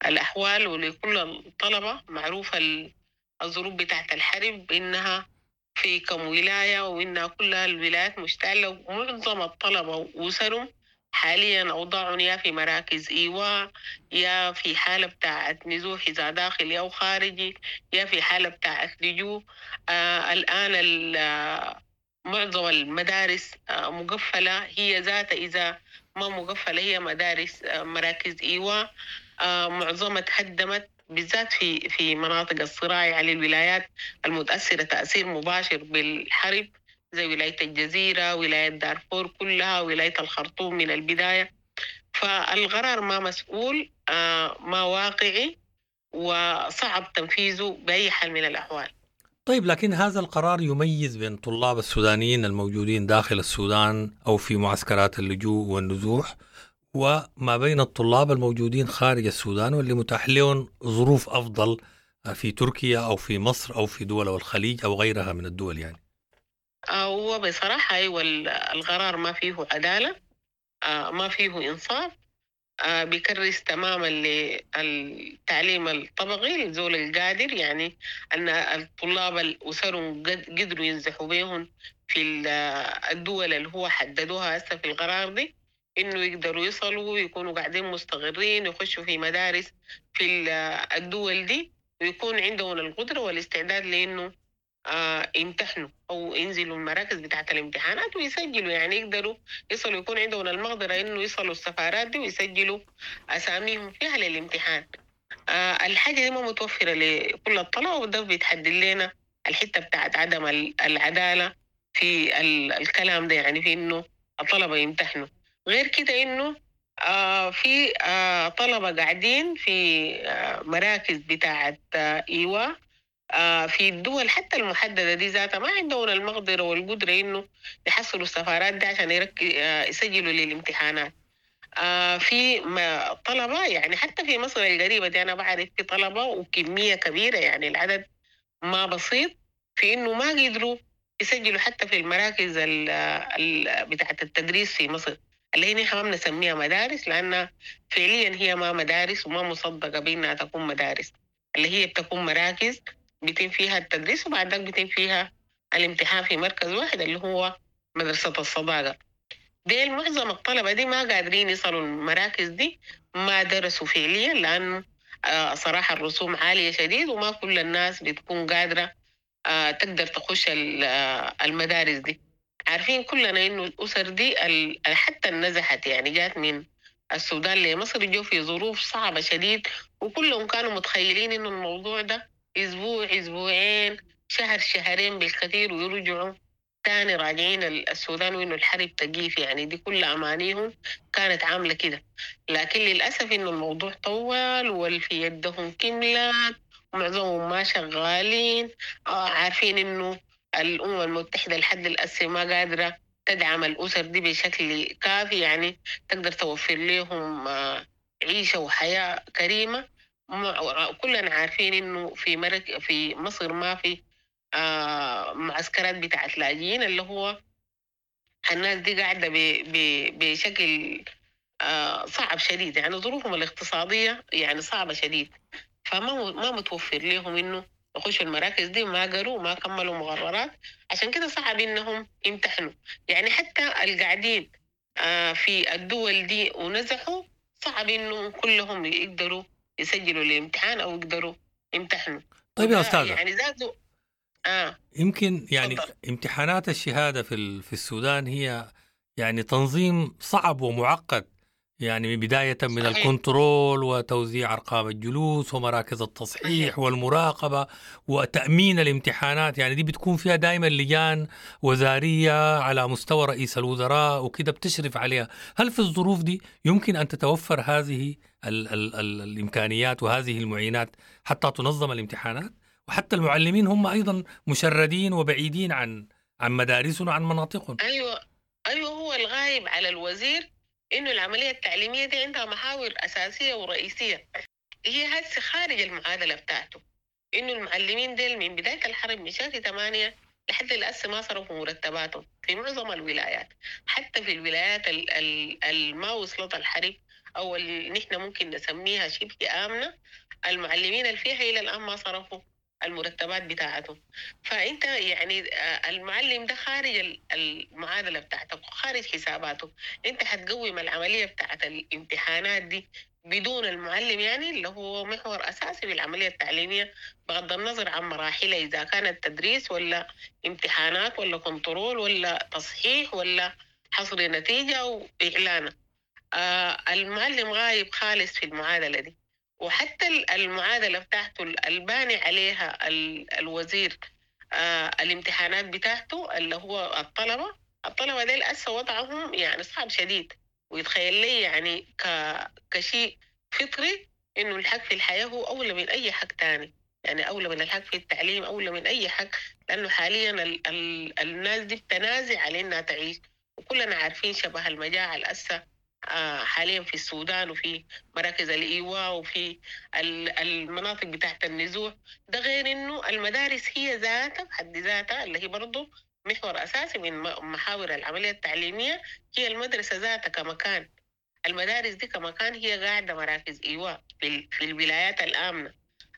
الأحوال ولكل الطلبة. معروفة الظروف بتاعت الحرب إنها في كم ولاية، وإنها كلها الولايات مشتعلة، ومعظم الطلبة وأسرهم حاليا أوضاعهم يا في مراكز إيواء، يا في حالة بتاعت نزوح إذا داخلي أو خارجي، يا في حالة بتاعت لجوء. الآن معظم المدارس مقفلة، هي ذاتها إذا ما مقفلة هي مدارس مراكز إيواء، معظمها تهدمت، بالذات في مناطق الصراع على الولايات المتأثرة تأثير مباشر بالحرب، زي ولاية الجزيرة، ولاية دارفور كلها، ولاية الخرطوم من البداية. فالقرار ما مسؤول، ما واقعي، وصعب تنفيذه بأي حال من الأحوال. طيب، لكن هذا القرار يميز بين طلاب السودانيين الموجودين داخل السودان أو في معسكرات اللجوء والنزوح، وما بين الطلاب الموجودين خارج السودان واللي متاح لهم ظروف أفضل في تركيا أو في مصر أو في دول الخليج أو غيرها من الدول. يعني هو بصراحة أيوة، القرار ما فيه عدالة، ما فيه إنصاف، بيكرس تماما للتعليم الطبقي للزول القادر، يعني أن الطلاب الأسرهم قدروا ينزحوا بهم في الدول اللي هو حددوها هسه في القرار دي، إنه يقدروا يصلوا ويكونوا قاعدين مستقرين، يخشوا في مدارس في الدول دي، ويكون عندهم القدرة والاستعداد لإنه يمتحنوا أو ينزلوا المراكز بتاعة الامتحانات ويسجلوا، يعني يقدروا يصلوا، يكون عندهم المقدرة إنه يصلوا السفارات دي ويسجلوا أساميهم فيها للامتحان. الحاجة دي ما متوفرة لكل الطلبة، وده بيتحدد لنا الحتة بتاعت عدم العدالة في الكلام ده، يعني في إنه الطلبة يمتحنوا. غير كده إنه في طلبة قاعدين في مراكز بتاعت إيواء في الدول حتى المحددة دي ذاتها، ما عندهم المقدرة والقدرة إنه يحصلوا السفارات دي عشان يسجلوا للامتحانات. في طلبة يعني حتى في مصر القريبة دي أنا بعرف في طلبة وكمية كبيرة، يعني العدد ما بسيط، في إنه ما قدروا يسجلوا حتى في المراكز بتاعة التدريس في مصر، اللي هي نحن ما بنسميها مدارس لأنها فعليا هي ما مدارس وما مصدقة بأنها تكون مدارس، اللي هي بتكون مراكز بيتم فيها التدريس وبعد ذلك بيتم فيها الامتحان في مركز واحد اللي هو مدرسة الصداقة. دي معظم الطلبة دي ما قادرين يصلوا المراكز دي، ما درسوا فعليا لأنه صراحة الرسوم عالية شديد وما كل الناس بتكون قادرة تقدر تخش المدارس دي. عارفين كلنا إنه الأسر دي حتى النزحت يعني جات من السودان لمصر جو في ظروف صعبة شديد، وكلهم كانوا متخيلين إنه الموضوع ده أسبوع أسبوعين شهر شهرين بالكثير ويرجعوا تاني راجعين السودان، وإنه الحرب تقيف. يعني دي كل أمانيهم كانت عاملة كده، لكن للأسف إنه الموضوع طول والفي يدهم كملت ومعظمهم ما شغالين. عارفين إنه الأمم المتحدة لحد الأسف ما قادرة تدعم الأسر دي بشكل كافي، يعني تقدر توفر لهم عيشة وحياة كريمة. كلنا عارفين إنه في مصر ما في معسكرات بتاعت لاجئين، اللي هو الناس دي قاعدة بشكل صعب شديد، يعني ظروفهم الاقتصادية يعني صعبة شديد، فما ما متوفر لهم إنه يخشوا المراكز دي، ما قروا ما كملوا مقررات، عشان كده صعب إنهم يمتحنوا. يعني حتى القاعدين في الدول دي ونزحوا صعب إنه كلهم يقدروا يسجلوا الامتحان أو يقدروا يمتحنوا. طيب يا أستاذة، يعني زادوا يمكن يعني تفضل. امتحانات الشهادة في السودان هي يعني تنظيم صعب ومعقد، يعني بداية من صحيح. الكنترول وتوزيع أرقام الجلوس ومراكز التصحيح والمراقبة وتأمين الامتحانات، يعني دي بتكون فيها دائما لجان وزارية على مستوى رئيس الوزراء وكده بتشرف عليها. هل في الظروف دي يمكن أن تتوفر هذه ال ال ال الإمكانيات وهذه المعينات حتى تنظم الامتحانات؟ وحتى المعلمين هم أيضا مشردين وبعيدين عن مدارسهم وعن مناطقهم. أيوة هو الغايب على الوزير إنه العملية التعليمية دي عندها محاور أساسية ورئيسية، هي هسه خارج المعادلة بتاعته. إنه المعلمين ديل من بداية الحرب من شهر 8 لحد الأسف ما صرفوا مرتباتهم في معظم الولايات، حتى في الولايات ما وصلت الحرب أو اللي نحن ممكن نسميها شبه آمنة، المعلمين اللي فيها إلى الآن ما صرفوا المرتبات بتاعتهم. فأنت يعني المعلم ده خارج المعادلة بتاعتك وخارج حساباته، أنت هتقوم العملية بتاعت الامتحانات دي بدون المعلم، يعني اللي هو محور أساسي في العملية التعليمية بغض النظر عن مراحلها، إذا كانت تدريس ولا امتحانات ولا كنترول ولا تصحيح ولا حصر نتيجة وإعلانه. المعلم غايب خالص في المعادلة دي، وحتى المعادلة بتاعته الباني عليها الوزير الامتحانات بتاعته اللي هو الطلبة ديل أسا وضعهم يعني صعب شديد، ويتخيل لي يعني كشيء فطري إنه الحق في الحياة هو أولى من أي حق تاني، يعني أولى من الحق في التعليم، أولى من أي حق، لأنه حاليا الناس دي بتنازع على إنها تعيش، وكلنا عارفين شبه المجاعة الأسا حاليا في السودان وفي مراكز الإيواء وفي المناطق بتاعت النزوح. ده غير إنه المدارس هي ذاتها بحد ذاتها اللي هي برضو محور أساسي من محاور العملية التعليمية، هي المدرسة ذاتها كمكان. المدارس دي كمكان هي قاعدة مراكز إيواء في الولايات الآمنة.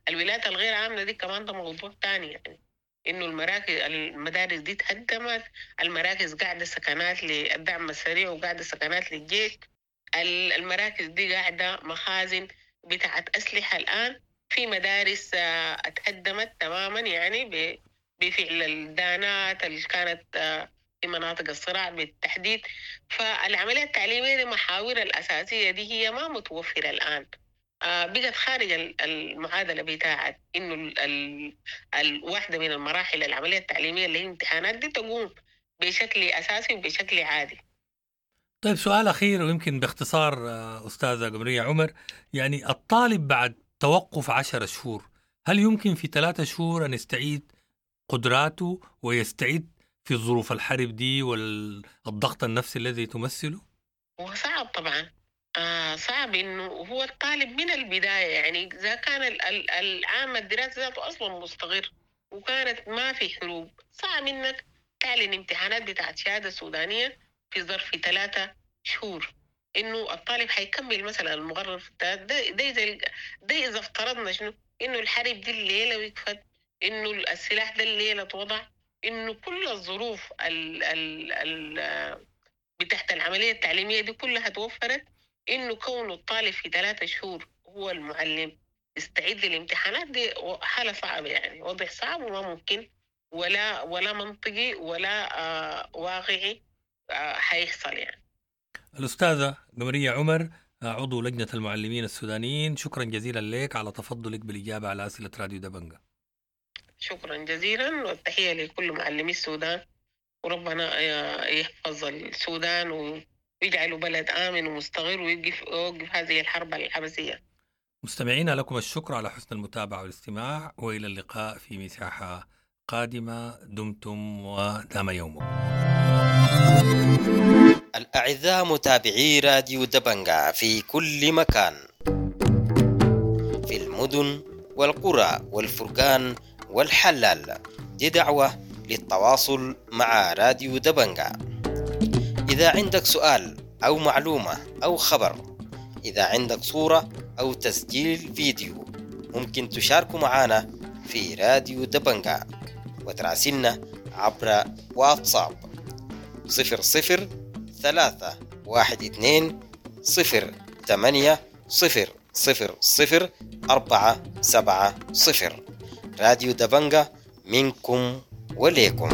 الولايات الغير آمنة دي كمان ده موضوع تاني، يعني إنه المدارس دي تهدمت، المراكز قاعدة سكنات للدعم السريع وقاعدة سكنات للجيش، المراكز دي قاعدة مخازن بتاعت أسلحة. الآن في مدارس اتهدمت تماما، يعني بفعل الدانات اللي كانت في مناطق الصراع بالتحديد. فالعملية التعليمية دي محاور الأساسية دي هي ما متوفرة الآن، بقت خارج المعادلة بتاعت إنه الواحدة من المراحل العملية التعليمية اللي هي الامتحانات دي تقوم بشكل أساسي وبشكل عادي. طيب سؤال أخير ويمكن باختصار أستاذة قمرية عمر، يعني الطالب بعد توقف 10 شهور هل يمكن في 3 شهور أن يستعيد قدراته ويستعيد في ظروف الحرب دي والضغط النفسي الذي تمثله؟ وصعب طبعا، صعب إنه هو الطالب من البداية، يعني إذا كان العام الدراسي ذاته أصلا مستقر وكانت ما في حروب، صعب إنك تعلن امتحانات بتاعت شهادة سودانية في ظرف 3 شهور، إنه الطالب حيكمل مثلا المقرر في ده إذا افترضنا شنو إنه الحرب دي الليلة وقفت، إنه السلاح ده الليلة توضع، إنه كل الظروف بتاعت العملية التعليمية دي كلها توفرت، إنه كون الطالب في 3 شهور هو المعلم يستعد للامتحانات دي حالة صعبة، يعني وضع صعب وما ممكن، ولا منطقي ولا واقعي حيحصل يعني. الأستاذة قمرية عمر، عضو لجنة المعلمين السودانيين، شكرا جزيلا لك على تفضلك بالإجابة على أسئلة راديو دبنجة. شكرا جزيلا، والتحية لكل معلمي السودان، وربنا يحفظ السودان ويجعله بلد آمن ومستقر ويوقف هذه الحرب العبثية. مستمعينا لكم الشكر على حسن المتابعة والاستماع، وإلى اللقاء في مساحة قادمة. دمتم ودام يومكم. الأعزاء متابعي راديو دبنجا في كل مكان، في المدن والقرى والفرقان والحلال، دي دعوة للتواصل مع راديو دبنجا. إذا عندك سؤال أو معلومة أو خبر، إذا عندك صورة أو تسجيل فيديو، ممكن تشاركوا معنا في راديو دبنجا وتراسلنا عبر واتساب 00 3 1 2 0 8 0 0 0 4 7 0. راديو دبنجا منكم وليكم.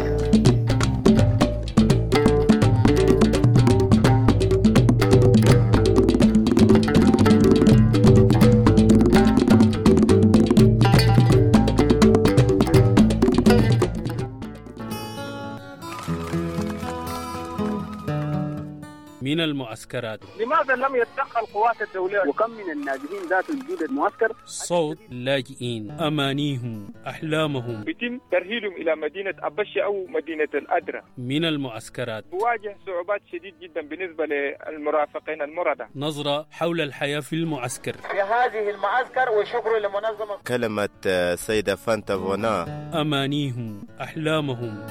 من المعسكرات، لماذا لم يتدخل القوات الدولية؟ وكم من النازحين ذات وجود المعسكر؟ صوت لاجئين، أمانيهم، أحلامهم، يتم ترهيلهم إلى مدينة أبشة أو مدينة الأدرة. من المعسكرات بواجه صعوبات شديد جدا بالنسبة للمرافقين المرضى. نظرة حول الحياة في المعسكر، في هذه المعسكر، وشكر لمنظمة. كلمة سيدة فانتا فونا، أمانيهم، أحلامهم.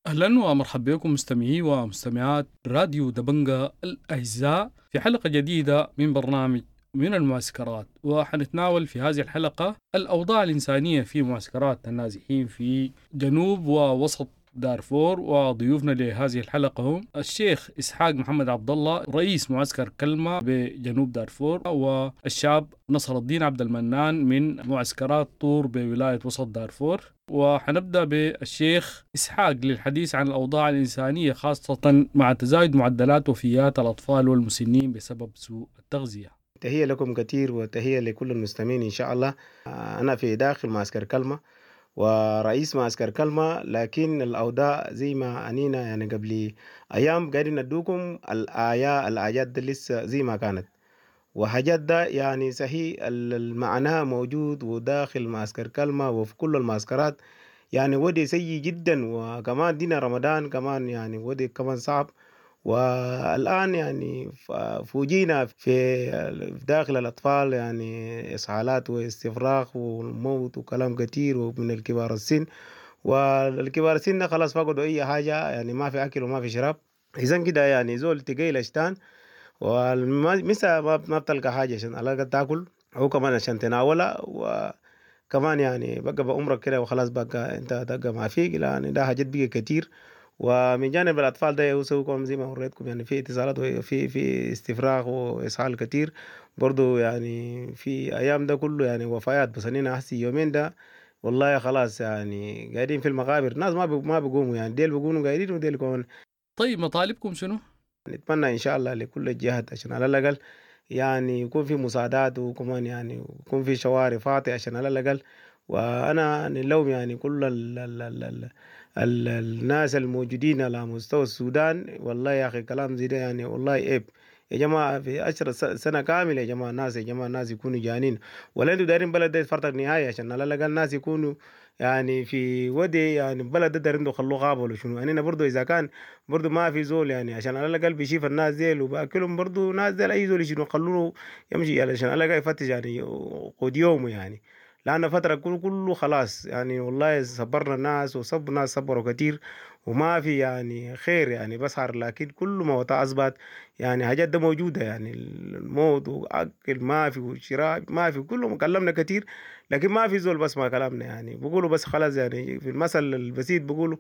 أهلا ومرحبا بكم مستمعي ومستمعات راديو دبنجا الأعزاء في حلقة جديدة من برنامج من المعسكرات، وحنتناول في هذه الحلقة الأوضاع الإنسانية في معسكرات النازحين في جنوب ووسط دارفور. وضيوفنا لهذه الحلقة هم الشيخ إسحاق محمد عبد الله رئيس معسكر كلمة بجنوب دارفور، والشاب نصر الدين عبد المنان من معسكرات طور بولاية وسط دارفور. وحنبدأ بالشيخ إسحاق للحديث عن الأوضاع الإنسانية، خاصة مع تزايد معدلات وفيات الأطفال والمسنين بسبب سوء التغذية. تحية لكم كثير وتحية لكل المستمعين إن شاء الله. أنا في داخل معسكر كلمة ورئيس معسكر كلمة، لكن الأوضاع زي ما أنينا يعني قبل أيام قاعدين ندوكم الآيات دي لسه زي ما كانت، وحاجات ده يعني صحيح المعنى موجود وداخل معسكر كلمة وفي كل المعسكرات، يعني ودي سيء جدا. وكمان دينا رمضان كمان يعني ودي كمان صعب. والآن يعني فوجينا في داخل الأطفال يعني إسهالات واستفراغ وموت وكلام كتير، ومن الكبار السن، والكبار السن خلاص فقدوا أي حاجة، يعني ما في أكل وما في شراب. إذن كده يعني زول تقيل أشتان والمسا ما بتلقى حاجة عشان على الأقل تاكل أو كمان عشان تناولها، وكمان يعني بقى بعمرك كده وخلاص بقى أنت تبقى ما فيك، يعني ده حاجات بقى كتير. ومن جانب الأطفال ده يسويكم زي ما وريتكم يعني في اتصالات وفي في استفراغ وإسهال كتير برضو، يعني في أيام ده كله يعني وفيات. بس أنا أحسي يومين ده والله خلاص يعني قاعدين في المقابر، ناس ما بيقوموا يعني، ديل بيقوموا قاعدين وديل كمان. طيب مطالبكم شنو؟ نتمنى إن شاء الله لكل الجهات عشان على الأقل يعني يكون في مساعدات، وكمان يعني يكون في شوارع فاضية عشان على الأقل. وأنا نلوم يعني كل ال ال ال ال ال الناس الموجودين على مستوى السودان، والله يا أخي كلام زي ده يعني والله عيب يا جماعة. في 10 سنة كاملة يا جماعة الناس، يا جماعة الناس يكونوا جانين، ولا انتوا دايرين بلد ده يتفرتق نهاية عشان على الأقل الناس يكونوا يعني في ودي يعني بلد ده دايرين خلوه غابة ولا شنو. يعني برضو إذا كان برضو ما في زول يعني عشان على الأقل بيشيف الناس ديل وبأكلهم برضو ناس ديل أي زول يشيلوا خلوه يمشي يعني عشان على الأقل يفتش يعني قد يومه يعني، لأن فترة كله خلاص يعني والله صبرنا الناس وصب ناس صبروا كتير وما في يعني خير يعني بسهر، لكن كل ما وطا أثبت يعني حاجات ده موجودة يعني الموت وأكل ما في وشراء ما في، كله كلمنا كتير لكن ما في زول بس ما كلامنا يعني بقولوا بس خلاص يعني في المثل البسيط بقولوا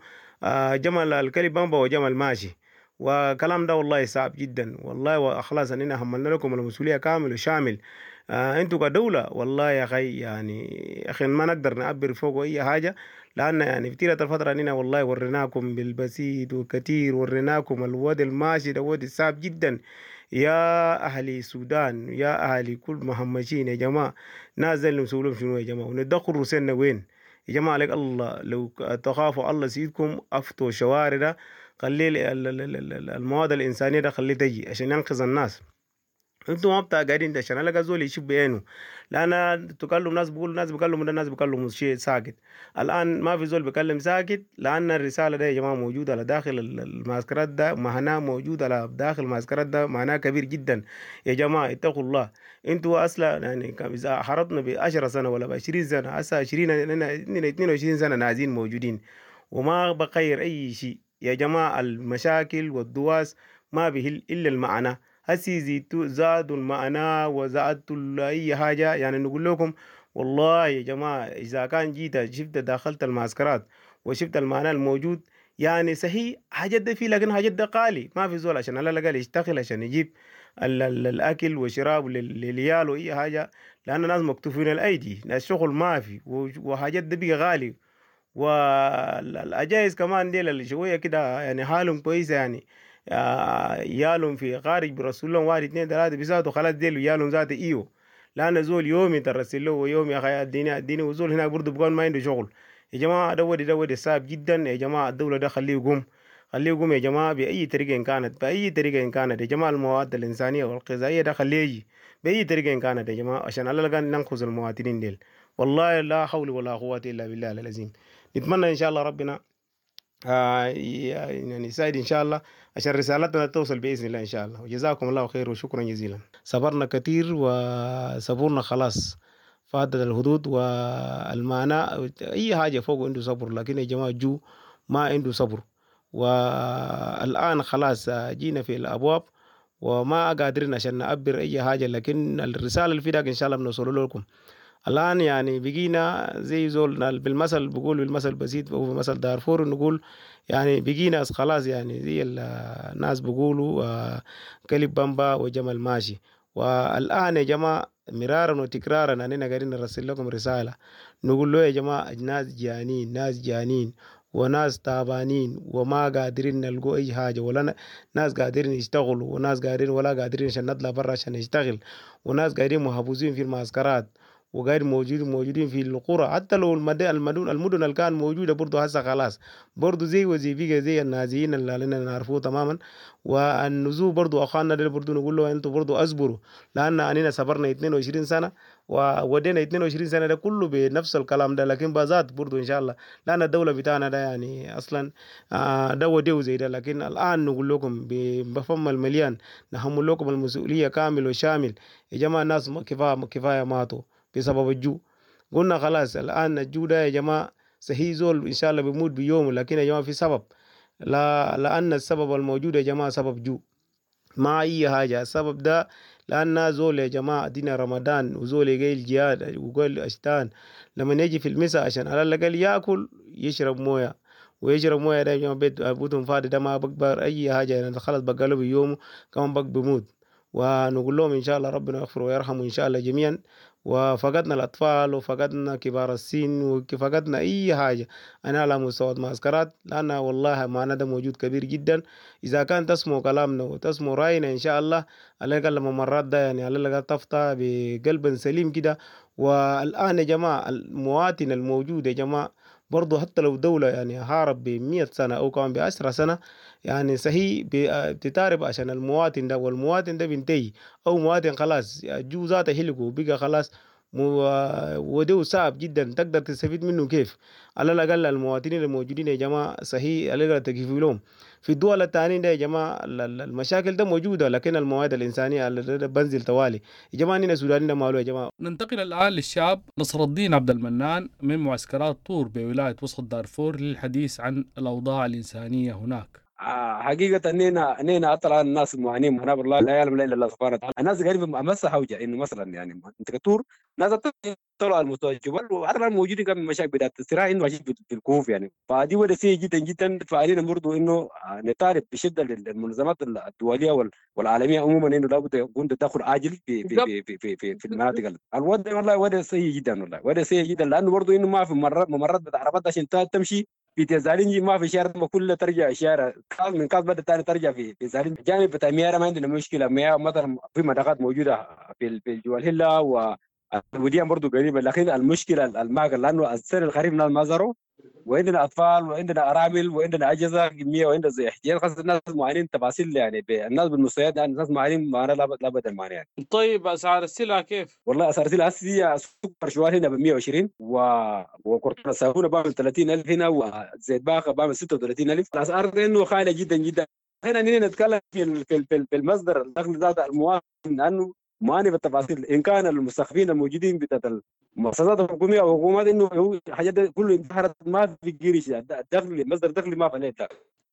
جمل الكلب بامبا وجمل ماشي. وكلام ده والله صعب جدا والله. وخلاص اننا حملنا لكم المسؤولية كامل وشامل. انتوا كدولة والله يا اخي يعني اخي ما نقدر نعبر فوق اي حاجة، لان يعني في تلك الفترة اننا والله وريناكم بالبسيط وكثير، وريناكم الوضع الماشي ده وضع صعب جدا. يا اهل السودان، يا اهل كل مهمشين يا جماعة، نازل نسولهم شنو يا جماعة؟ وندخل روسنا وين يا جماعة؟ عليك الله لو تخافوا الله سيدكم افتوا شوارع ده، خلي المواد الانسانية ده خليه تجي عشان ينقذ الناس. انتوا ما بتاع قاعدين عشان الاقى زول يشوف بعينه، لان تكلم ناس بيقول ناس بيكلموا ده، ناس بيكلموا شيء ساكت. الان ما في زول بيكلم ساكت، لان الرسالة ده يا جماعة موجودة على داخل المعسكرات ده، معناه موجود على داخل المعسكرات ده، معناه كبير جدا يا جماعة. اتقوا الله انتوا اصلا يعني اذا حربنا ب 10 سنة ولا ب 20 سنة، هسه 20 22 سنة نازين موجودين وما بغير اي شيء يا جماعة. المشاكل والدواس ما به الا المعنى، هسي زيتوا زادوا المعنى وزادوا اي حاجة. يعني نقول لكم والله يا جماعة اذا كان جيت شفت دخلت المعسكرات وشفت المعنى الموجود، يعني صحيح حاجات ده فيه، لكن حاجات ده غالي، ما في زول عشان على الاقل يشتغل عشان يجيب الاكل وشراب للعيال واي حاجة، لان الناس مكتوفين الايدي، الشغل ما في وحاجات ده بقى غالي. والأجايز كمان ديل اللي شوية كده يعني حالهم كويسة، يعني يالهم في خارج برسول لهم 1 2 3 بيساعدوا خلاص ديل يالهم ذاته ايوه، لأن زول يومي ترسل له ويومي يا أخي اديني اديني، وزول هناك برضه بيكون ما عنده شغل يا جماعة. ده ودي صعب جدا يا جماعة. الدولة ده خليه يقوم، خليه يقوم يا جماعة بأي طريقة إن كانت، بأي طريقة إن كانت يا جماعة. المواد الإنسانية والغذائية ده خليه يجي بأي طريقة إن كانت يا جماعة، عشان على الأقل ننقذ المواطنين ديل. والله لا حول ولا قوة إلا بالله العظيم. نتمنى إن شاء الله ربنا يعني يساعد إن شاء الله عشان رسالتنا توصل بإذن الله إن شاء الله. وجزاكم الله خير وشكرا جزيلا. صبرنا كثير وصبرنا خلاص فاتت الحدود والمعنى أي حاجة فوق عنده صبر، لكن يا جماعة جو ما عنده صبر. والآن خلاص جينا في الأبواب وما قادرين عشان نعبر أي حاجة، لكن الرسالة اللي في داك إن شاء الله بنوصل لكم. الآن يعني بقينا زي زول بالمثل، بقول بالمثل بسيط وهو مثل دارفور، نقول يعني بقينا خلاص يعني زي الناس بيقولوا كلب بامبا وجمل ماشي. والآن يا جماعة مرارا وتكرارا أننا قاعدين نرسل لكم رسالة نقول له يا جماعة ناس جانين، ناس جانين وناس تعبانين وما قادرين نلقوا أي حاجة، ولا ناس قادرين يشتغلوا وناس قادرين ولا قادرين عشان نطلع برا عشان نشتغل، وناس قاعدين محبوسين في المعسكرات وغير موجودين في القرى. حتى لو المدن اللي كان موجودة برضه هسه خلاص برضه زي وزي بقى زي النازيين اللي لنا نعرفوه تماما. والنزوح برضه اخواننا ده برضه نقول له انتوا برضه اصبروا، لان اننا صبرنا 22 سنة وودينا 22 سنة ده كله بنفس الكلام ده، لكن بازات برضه ان شاء الله، لان الدولة بتاعنا ده يعني اصلا ده وديه زي ده. لكن الان نقول لكم بفم المليان نحمل لكم المسؤولية كامل وشامل يا جماعة. الناس كفاية ماتوا بسبب الجوع. قلنا خلاص الآن الجوع ده يا جماعة صحيح زول إن شاء الله بيموت بيوم، لكن يا جماعة في سبب، لا لأن السبب الموجود يا جماعة سبب جوع ما أي حاجة. السبب ده لأن زول يا جماعة دينا رمضان وزول يجي الجهاد وقال أشتان لما يجي في المساء عشان على الأقل يأكل يشرب موية، ويشرب موية ده يا جماعة بيت بوتهم فاضي ده ما بكبر أي حاجة يعني خلاص بقاله بيومه كمان بق بيموت. ونقول لهم إن شاء الله ربنا يغفر ويرحمه إن شاء الله جميعا. وفقدنا الأطفال وفقدنا كبار السن وفقدنا أي حاجة أنا على مستوى المعسكرات، لأن والله معنا ده موجود كبير جدا. إذا كان تسمو كلامنا وتسمو رأينا إن شاء الله على الأقل لما مرات ده يعني على الأقل تفتح بقلب سليم كده. والآن يا جماعة المواطن الموجود يا جماعة برضه حتى لو دولة يعني هارب ب100 سنة أو كمان ب10 سنة يعني صحيح بتتعرف عشان المواطن ده، والمواطن ده بينتهي أو مواطن خلاص جو ذاته هلكوا بقى خلاص وده صعب جدا تقدر تستفيد منه كيف. على الأقل المواطنين الموجودين يا جماعة صحيح على الأقل تكفي لهم. في الدول الثانية ده يا جماعة المشاكل ده موجودة، لكن المواد الإنسانية اللي بنزل توالي يا جماعة. نحن السودانيين ماله يا جماعة. ننتقل الآن للشاب نصر الدين عبد المنان من معسكرات طور بولاية وسط دارفور للحديث عن الأوضاع الإنسانية هناك. حقيقة اننا اطلع الناس معانين معاناة والله لا يعلم الا الله سبحانه وتعالى. الناس قريبه مسها حوجه انه مثلا يعني منطقة تور ناس طلعوا على مستوى الجبل، وحتى موجودين كان مشاكل بداية الصراع انه ماشيين في الكهوف يعني. فدي وضع سيء جدا جدا. فعلينا برضه انه نطالب بشده للمنظمات الدولية والعالمية عموما انه لابد يكون تدخل عاجل في في في في في, في, في المناطق. الوضع والله وضع سيء جدا، والله وضع سيء جدا، لانه برضه انه ما في ممرات بتاع عربات عشان تمشي في تزالينجي، ما في شارع، كلها ترجع شارع كاز من كاز بدأ ثاني ترجع في زالينجي. جانب بتاع مياه ما عندنا مشكلة، مياه مثلا في مدخات موجودة في جوال هلا والوديان برضه قريبه، لكن المشكلة الماء لانه السنة الخريف الناس ما زروا، وعندنا اطفال وعندنا ارامل وعندنا اجهزة كمية وعندنا زي احتياج خاصة. الناس معانين تفاصيل يعني الناس بالمستويات يعني الناس معانين معانا لا بدل معانا يعني. طيب اسعار السلع كيف؟ والله اسعار السلع هسه السكر شوال هنا ب 120 وكرتون الصابونه بعمل 30000 هنا، وزيت باقه بعمل 36000. الاسعار انه خالية جدا جدا. هنا نتكلم في المصدر الدخل ذات المواطن، لانه معاني بالتفاصيل ان كان المستخفين الموجودين بتاعت المؤسسات الحكومية او الحكومات انه حاجات كله انتحرت، ما في قرش دخل، مصدر دخل ما في.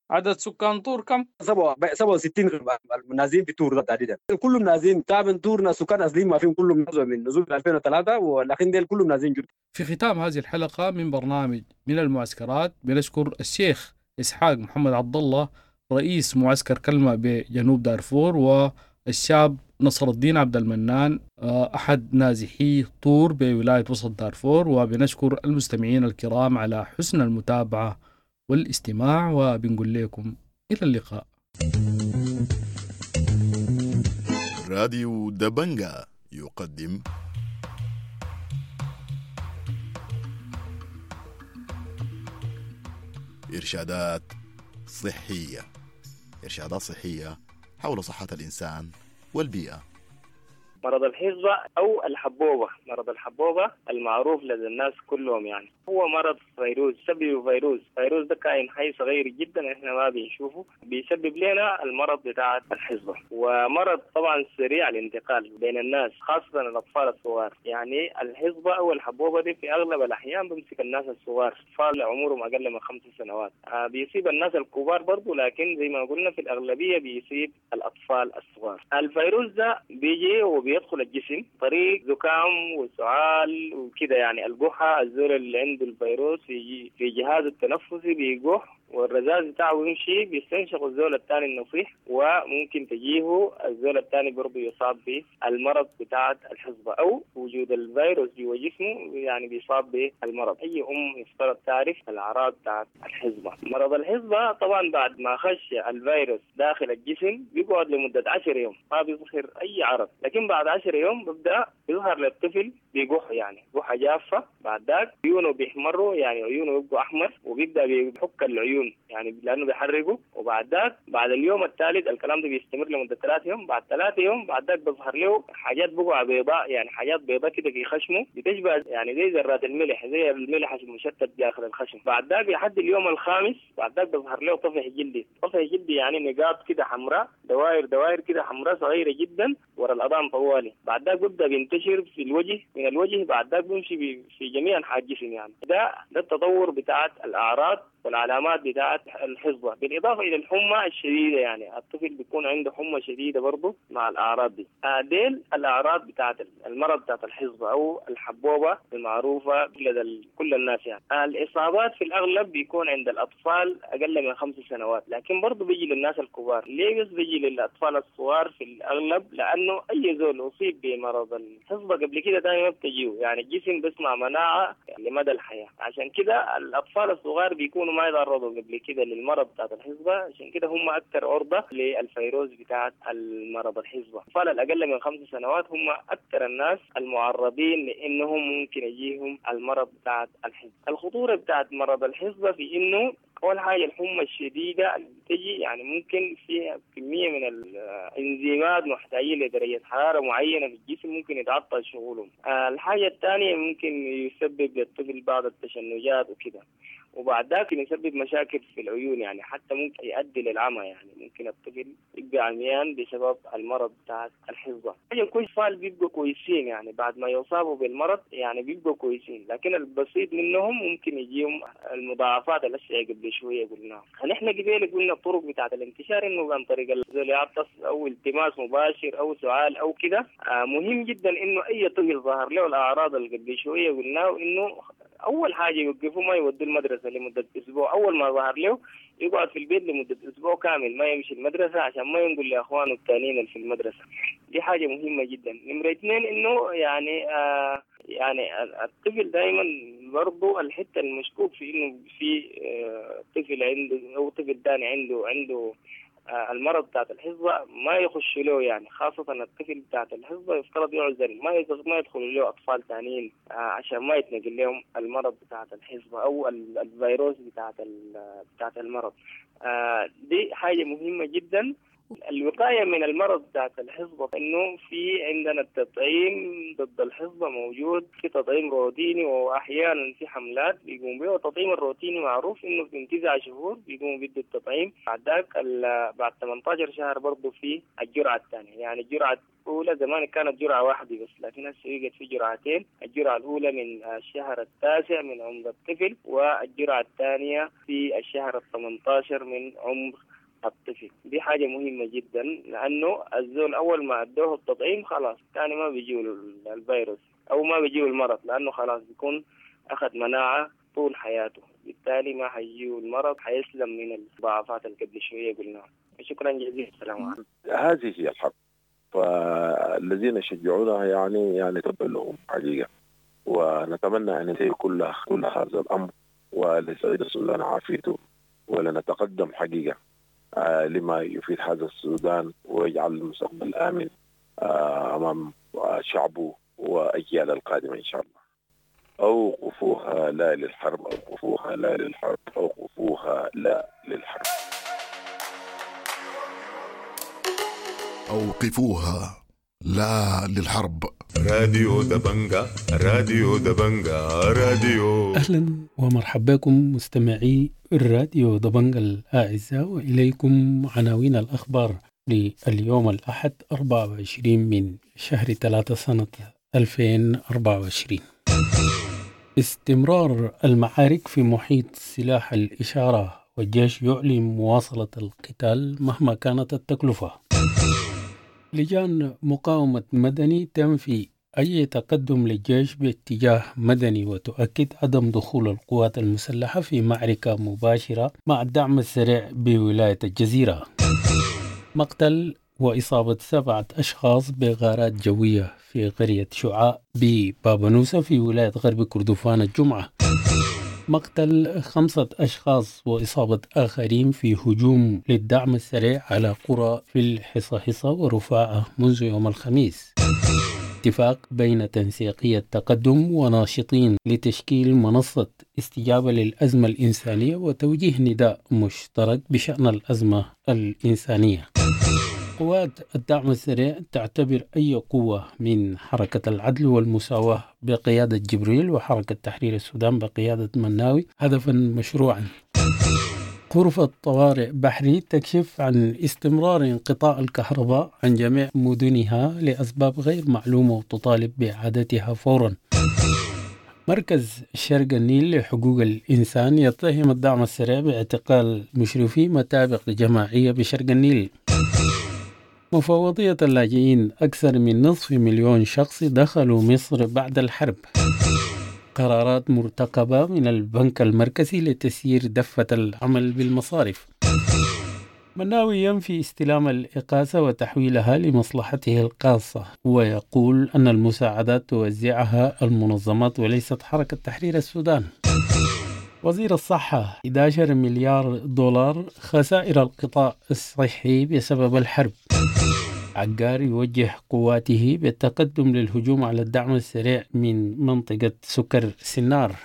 عدد سكان طور كم؟ 67 النازحين في طور ده تحديدا، كلهم نازحين تابع طورنا سكان اصليين ما فيهم، كلهم نزلوا من نزول 2003، ولكن ديل كلهم نازحين جدا. في ختام هذه الحلقة من برنامج من المعسكرات بنشكر الشيخ اسحاق محمد عبد الله رئيس معسكر كلمة بجنوب دارفور، والشاب نصر الدين عبد المنان أحد نازحي طور بولاية وسط دارفور. وبنشكر المستمعين الكرام على حسن المتابعة والاستماع، وبنقول لكم إلى اللقاء. راديو دبنجا يقدم إرشادات صحية، إرشادات صحية حول صحة الإنسان والبيئة. مرض الحصبة أو الحبوبة، مرض الحبوبة المعروف لدى الناس كلهم يعني هو مرض فيروس، سببه فيروس ده كائن حي صغير جدا احنا ما بنشوفه، بيسبب لنا المرض بتاع الحصبة. ومرض طبعا سريع الانتقال بين الناس خاصة الأطفال الصغار. يعني الحصبة أو الحبوبة دي في أغلب الأحيان بيمسك الناس الصغار، أطفال عمرهم أقل من 5 سنوات. بيصيب الناس الكبار برضو، لكن زي ما قلنا في الأغلبية بيصيب الأطفال الصغار. الفيروس ده بيجي وبيدخل الجسم طريق زكام وسعال وكده، يعني القحة، الزول اللي عنده الفيروس في جهازه التنفسي بيقح، والرذاذ بتاعه يمشي بيستنشق الزول الثاني النصيح، وممكن تجيه الزول الثاني برضه يصاب بالمرض بتاعة الحصبة، أو وجود الفيروس جوا جسمه يعني بيصاب بالمرض. أي أم يفترض تعرف الأعراض بتاعة الحصبة. مرض الحصبة طبعا بعد ما خش الفيروس داخل الجسم بيقعد لمدة 10 يوم ما بيظهر أي عرض، لكن بعد 10 يوم بيبدأ يظهر للطفل بيقح، يعني قحة جافة. بعد ذاك عيونه بيحمروا، يعني عيونه بيبقوا أحمر، وبيبدأ بيحك العيون يعني لأنه بيحرقه. وبعد ذاك بعد اليوم الثالث الكلام ده بيستمر لمدة 3 يوم. بعد 3 يوم بعد ذاك بيظهر له حاجات بقع بيضاء، يعني حاجات بيضاء كده في خشمه بتشبه يعني زي ذرات الملح، زي الملح المشتت داخل الخشم. بعد ذاك لحد اليوم الخامس بعد ذاك بيظهر له طفح جلدي، طفح جلدي يعني نقاط كده حمراء، دوائر دوائر كده حمراء صغيرة جدا ورا الأذان طوالي. بعد ذاك بيبدأ بينتشر في الوجه، من الوجه بعد ذاك بيمشي في جميع أنحاء الجسم. يعني ده التطور بتاعت الأعراض والعلامات بتاعت الحصبة، بالإضافة إلى الحمى الشديدة، يعني الطفل بيكون عنده حمى شديدة برضه مع الأعراض دي. ديل الأعراض بتاعت المرض بتاعت الحصبة أو الحبوبة المعروفة لدى كل الناس. يعني الإصابات في الأغلب بيكون عند الأطفال أقل من 5 سنوات، لكن برضه بيجي للناس الكبار. ليه بس بيجي للأطفال الصغار في الأغلب؟ لأنه أي زول أصيب بمرض الحصبة قبل كده دائما ما بتجيه، يعني الجسم بيصنع مناعة لمدى الحياة. عشان كده الأطفال الصغار بيكونوا ما يتعرضوا قبل كده للمرض بتاعت الحصبة، عشان كده هم أكثر عرضة للفيروس بتاعت المرض الحصبة. الأطفال الأقل من 5 سنوات هم أكثر الناس المعرضين لأنهم ممكن يجيهم المرض بتاعت الحصبة. الخطورة بتاعت مرض الحصبة في إنه أول حاجة الحمى الشديدة اللي بتجي، يعني ممكن فيها كمية من الإنزيمات محتاجين لدرجة حرارة معينة في الجسم ممكن يتعطل شغلهم. الحاجة الثانية ممكن يسبب للطفل بعض التشنجات وكده. وبعد ذاك يسبب مشاكل في العيون، يعني حتى ممكن يؤدي للعمى، يعني ممكن الطفل يبقى عميان بسبب المرض بتاع الحصبة. يكون أطفال بيبقوا كويسين يعني بعد ما يصابوا بالمرض يعني بيبقوا كويسين، لكن البسيط منهم ممكن يجيهم المضاعفات الأشياء قبل شوية قلناها. نحن قبل قلنا الطرق بتاعت الانتشار إنه عن طريق الزول يعطس أو التماس مباشر أو سعال أو كده. مهم جدا إنه أي طفل ظهر له الأعراض اللي قبل شوية قلناه إنه أول حاجة يوقفوا ما يودوا المدرسة لمدة أسبوع. أول ما ظهر له يقعد في البيت لمدة أسبوع كامل ما يمشي المدرسة عشان ما ينقل لأخوانه الثانيين اللي في المدرسة. دي حاجة مهمة جدا. نمرة 2 إنه يعني الطفل دائما برضو الحتة المشكوك في إنه في طفل عنده أو طفل ثاني عنده المرض بتاعت الحصبة ما يخش له، يعني خاصة الطفل بتاعت الحصبة يفترض يعزل، ما يدخل له أطفال ثانيين عشان ما يتنقل لهم المرض بتاعت الحصبة أو الفيروس بتاعت المرض. دي حاجة مهمة جدا. الوقاية من المرض بتاعت الحصبة إنه في عندنا التطعيم ضد الحصبة موجود، في تطعيم روتيني وأحيانا في حملات بيقوم به. والتطعيم الروتيني معروف إنه في 9 شهور بيقوموا بيدوا التطعيم، بعد ذاك بعد 18 شهر برضه في الجرعة الثانية. يعني الجرعة الأولى زمان كانت جرعة واحدة بس، لكن هسه يوجد في جرعتين، الجرعة الأولى من الشهر 9 من عمر الطفل، والجرعة الثانية في الشهر 18 من عمر الطفل. دي حاجة مهمة جدا، لأنه الزول أول ما أدوه التطعيم خلاص تاني ما بيجيه الفيروس أو ما بيجيه المرض، لأنه خلاص بيكون أخذ مناعة طول حياته، بالتالي ما حيجيه المرض، حيسلم من المضاعفات اللي قبل شوية قلناها. شكرا جزيلا، السلام عليكم. هذه هي الحرب، فالذين يشجعونها يعني تبا لهم حقيقة، ونتمنى أن ينتهي كل هذا الأمر ولسعيد السودان عافيته، ولنتقدم حقيقة لما يفيد هذا السودان ويجعل المستقبل آمن أمام شعبه وأجيال القادمة إن شاء الله. أوقفوها لا للحرب، أوقفوها لا للحرب، أوقفوها لا للحرب. أوقفوها لا للحرب. راديو دبنجا، راديو دبنجا، راديو. أهلا ومرحبا بكم مستمعي الراديو دبنجا الأعزاء، وإليكم عناوين الأخبار لليوم الأحد 24 من شهر 3 سنة 2024. استمرار المعارك في محيط سلاح الإشارة، والجيش يعلن مواصلة القتال مهما كانت التكلفة. لجان مقاومة مدني تنفي أي تقدم للجيش باتجاه مدني، وتؤكد عدم دخول القوات المسلحة في معركة مباشرة مع الدعم السريع بولاية الجزيرة. مقتل وإصابة 7 أشخاص بغارات جوية في قرية شعاع ببابنوسة في ولاية غرب كردفان الجمعة. مقتل 5 أشخاص وإصابة آخرين في هجوم للدعم السريع على قرى في الحصاحيصا ورفاعة منذ يوم الخميس. اتفاق بين تنسيقية تقدم وناشطين لتشكيل منصة استجابة للأزمة الإنسانية وتوجيه نداء مشترك بشأن الأزمة الإنسانية. قوات الدعم السريع تعتبر أي قوة من حركة العدل والمساواة بقيادة جبريل وحركة تحرير السودان بقيادة مناوي هدفا مشروعا. غرفة طوارئ بحري تكشف عن استمرار انقطاع الكهرباء عن جميع مدنها لأسباب غير معلومة وتطالب بإعادتها فورا. مركز شرق النيل لحقوق الإنسان يتهم الدعم السريع باعتقال مشرفي مطابق جماعية بشرق النيل. مفوضية اللاجئين أكثر من 500,000 شخص دخلوا مصر بعد الحرب. قرارات مرتقبة من البنك المركزي لتسيير دفة العمل بالمصارف. مناوي ينفي استلام الإقاصة وتحويلها لمصلحته الخاصة، ويقول أن المساعدات توزعها المنظمات وليست حركة تحرير السودان. وزير الصحة 11 مليار دولار خسائر القطاع الصحي بسبب الحرب. عقار يوجه قواته بالتقدم للهجوم على الدعم السريع من منطقة سكر سنار.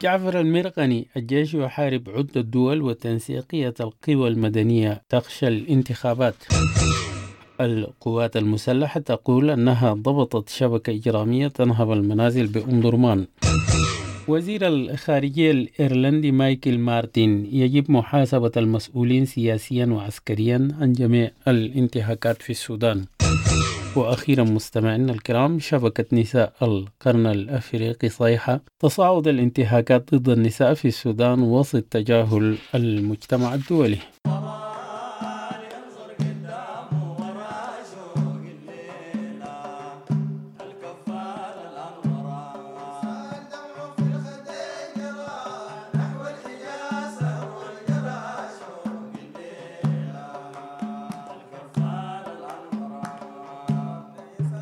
جعفر المرقني الجيش يحارب عدة دول وتنسيقية القوى المدنية تخشى الانتخابات. القوات المسلحة تقول أنها ضبطت شبكة إجرامية تنهب المنازل بأم درمان. وزير الخارجية الإيرلندي مايكل مارتن: يجب محاسبة المسؤولين سياسيا وعسكريا عن جميع الانتهاكات في السودان. وأخيرا مستمعينا الكرام، شبكة نساء القرن الأفريقي صيحة: تصاعد الانتهاكات ضد النساء في السودان وسط تجاهل المجتمع الدولي.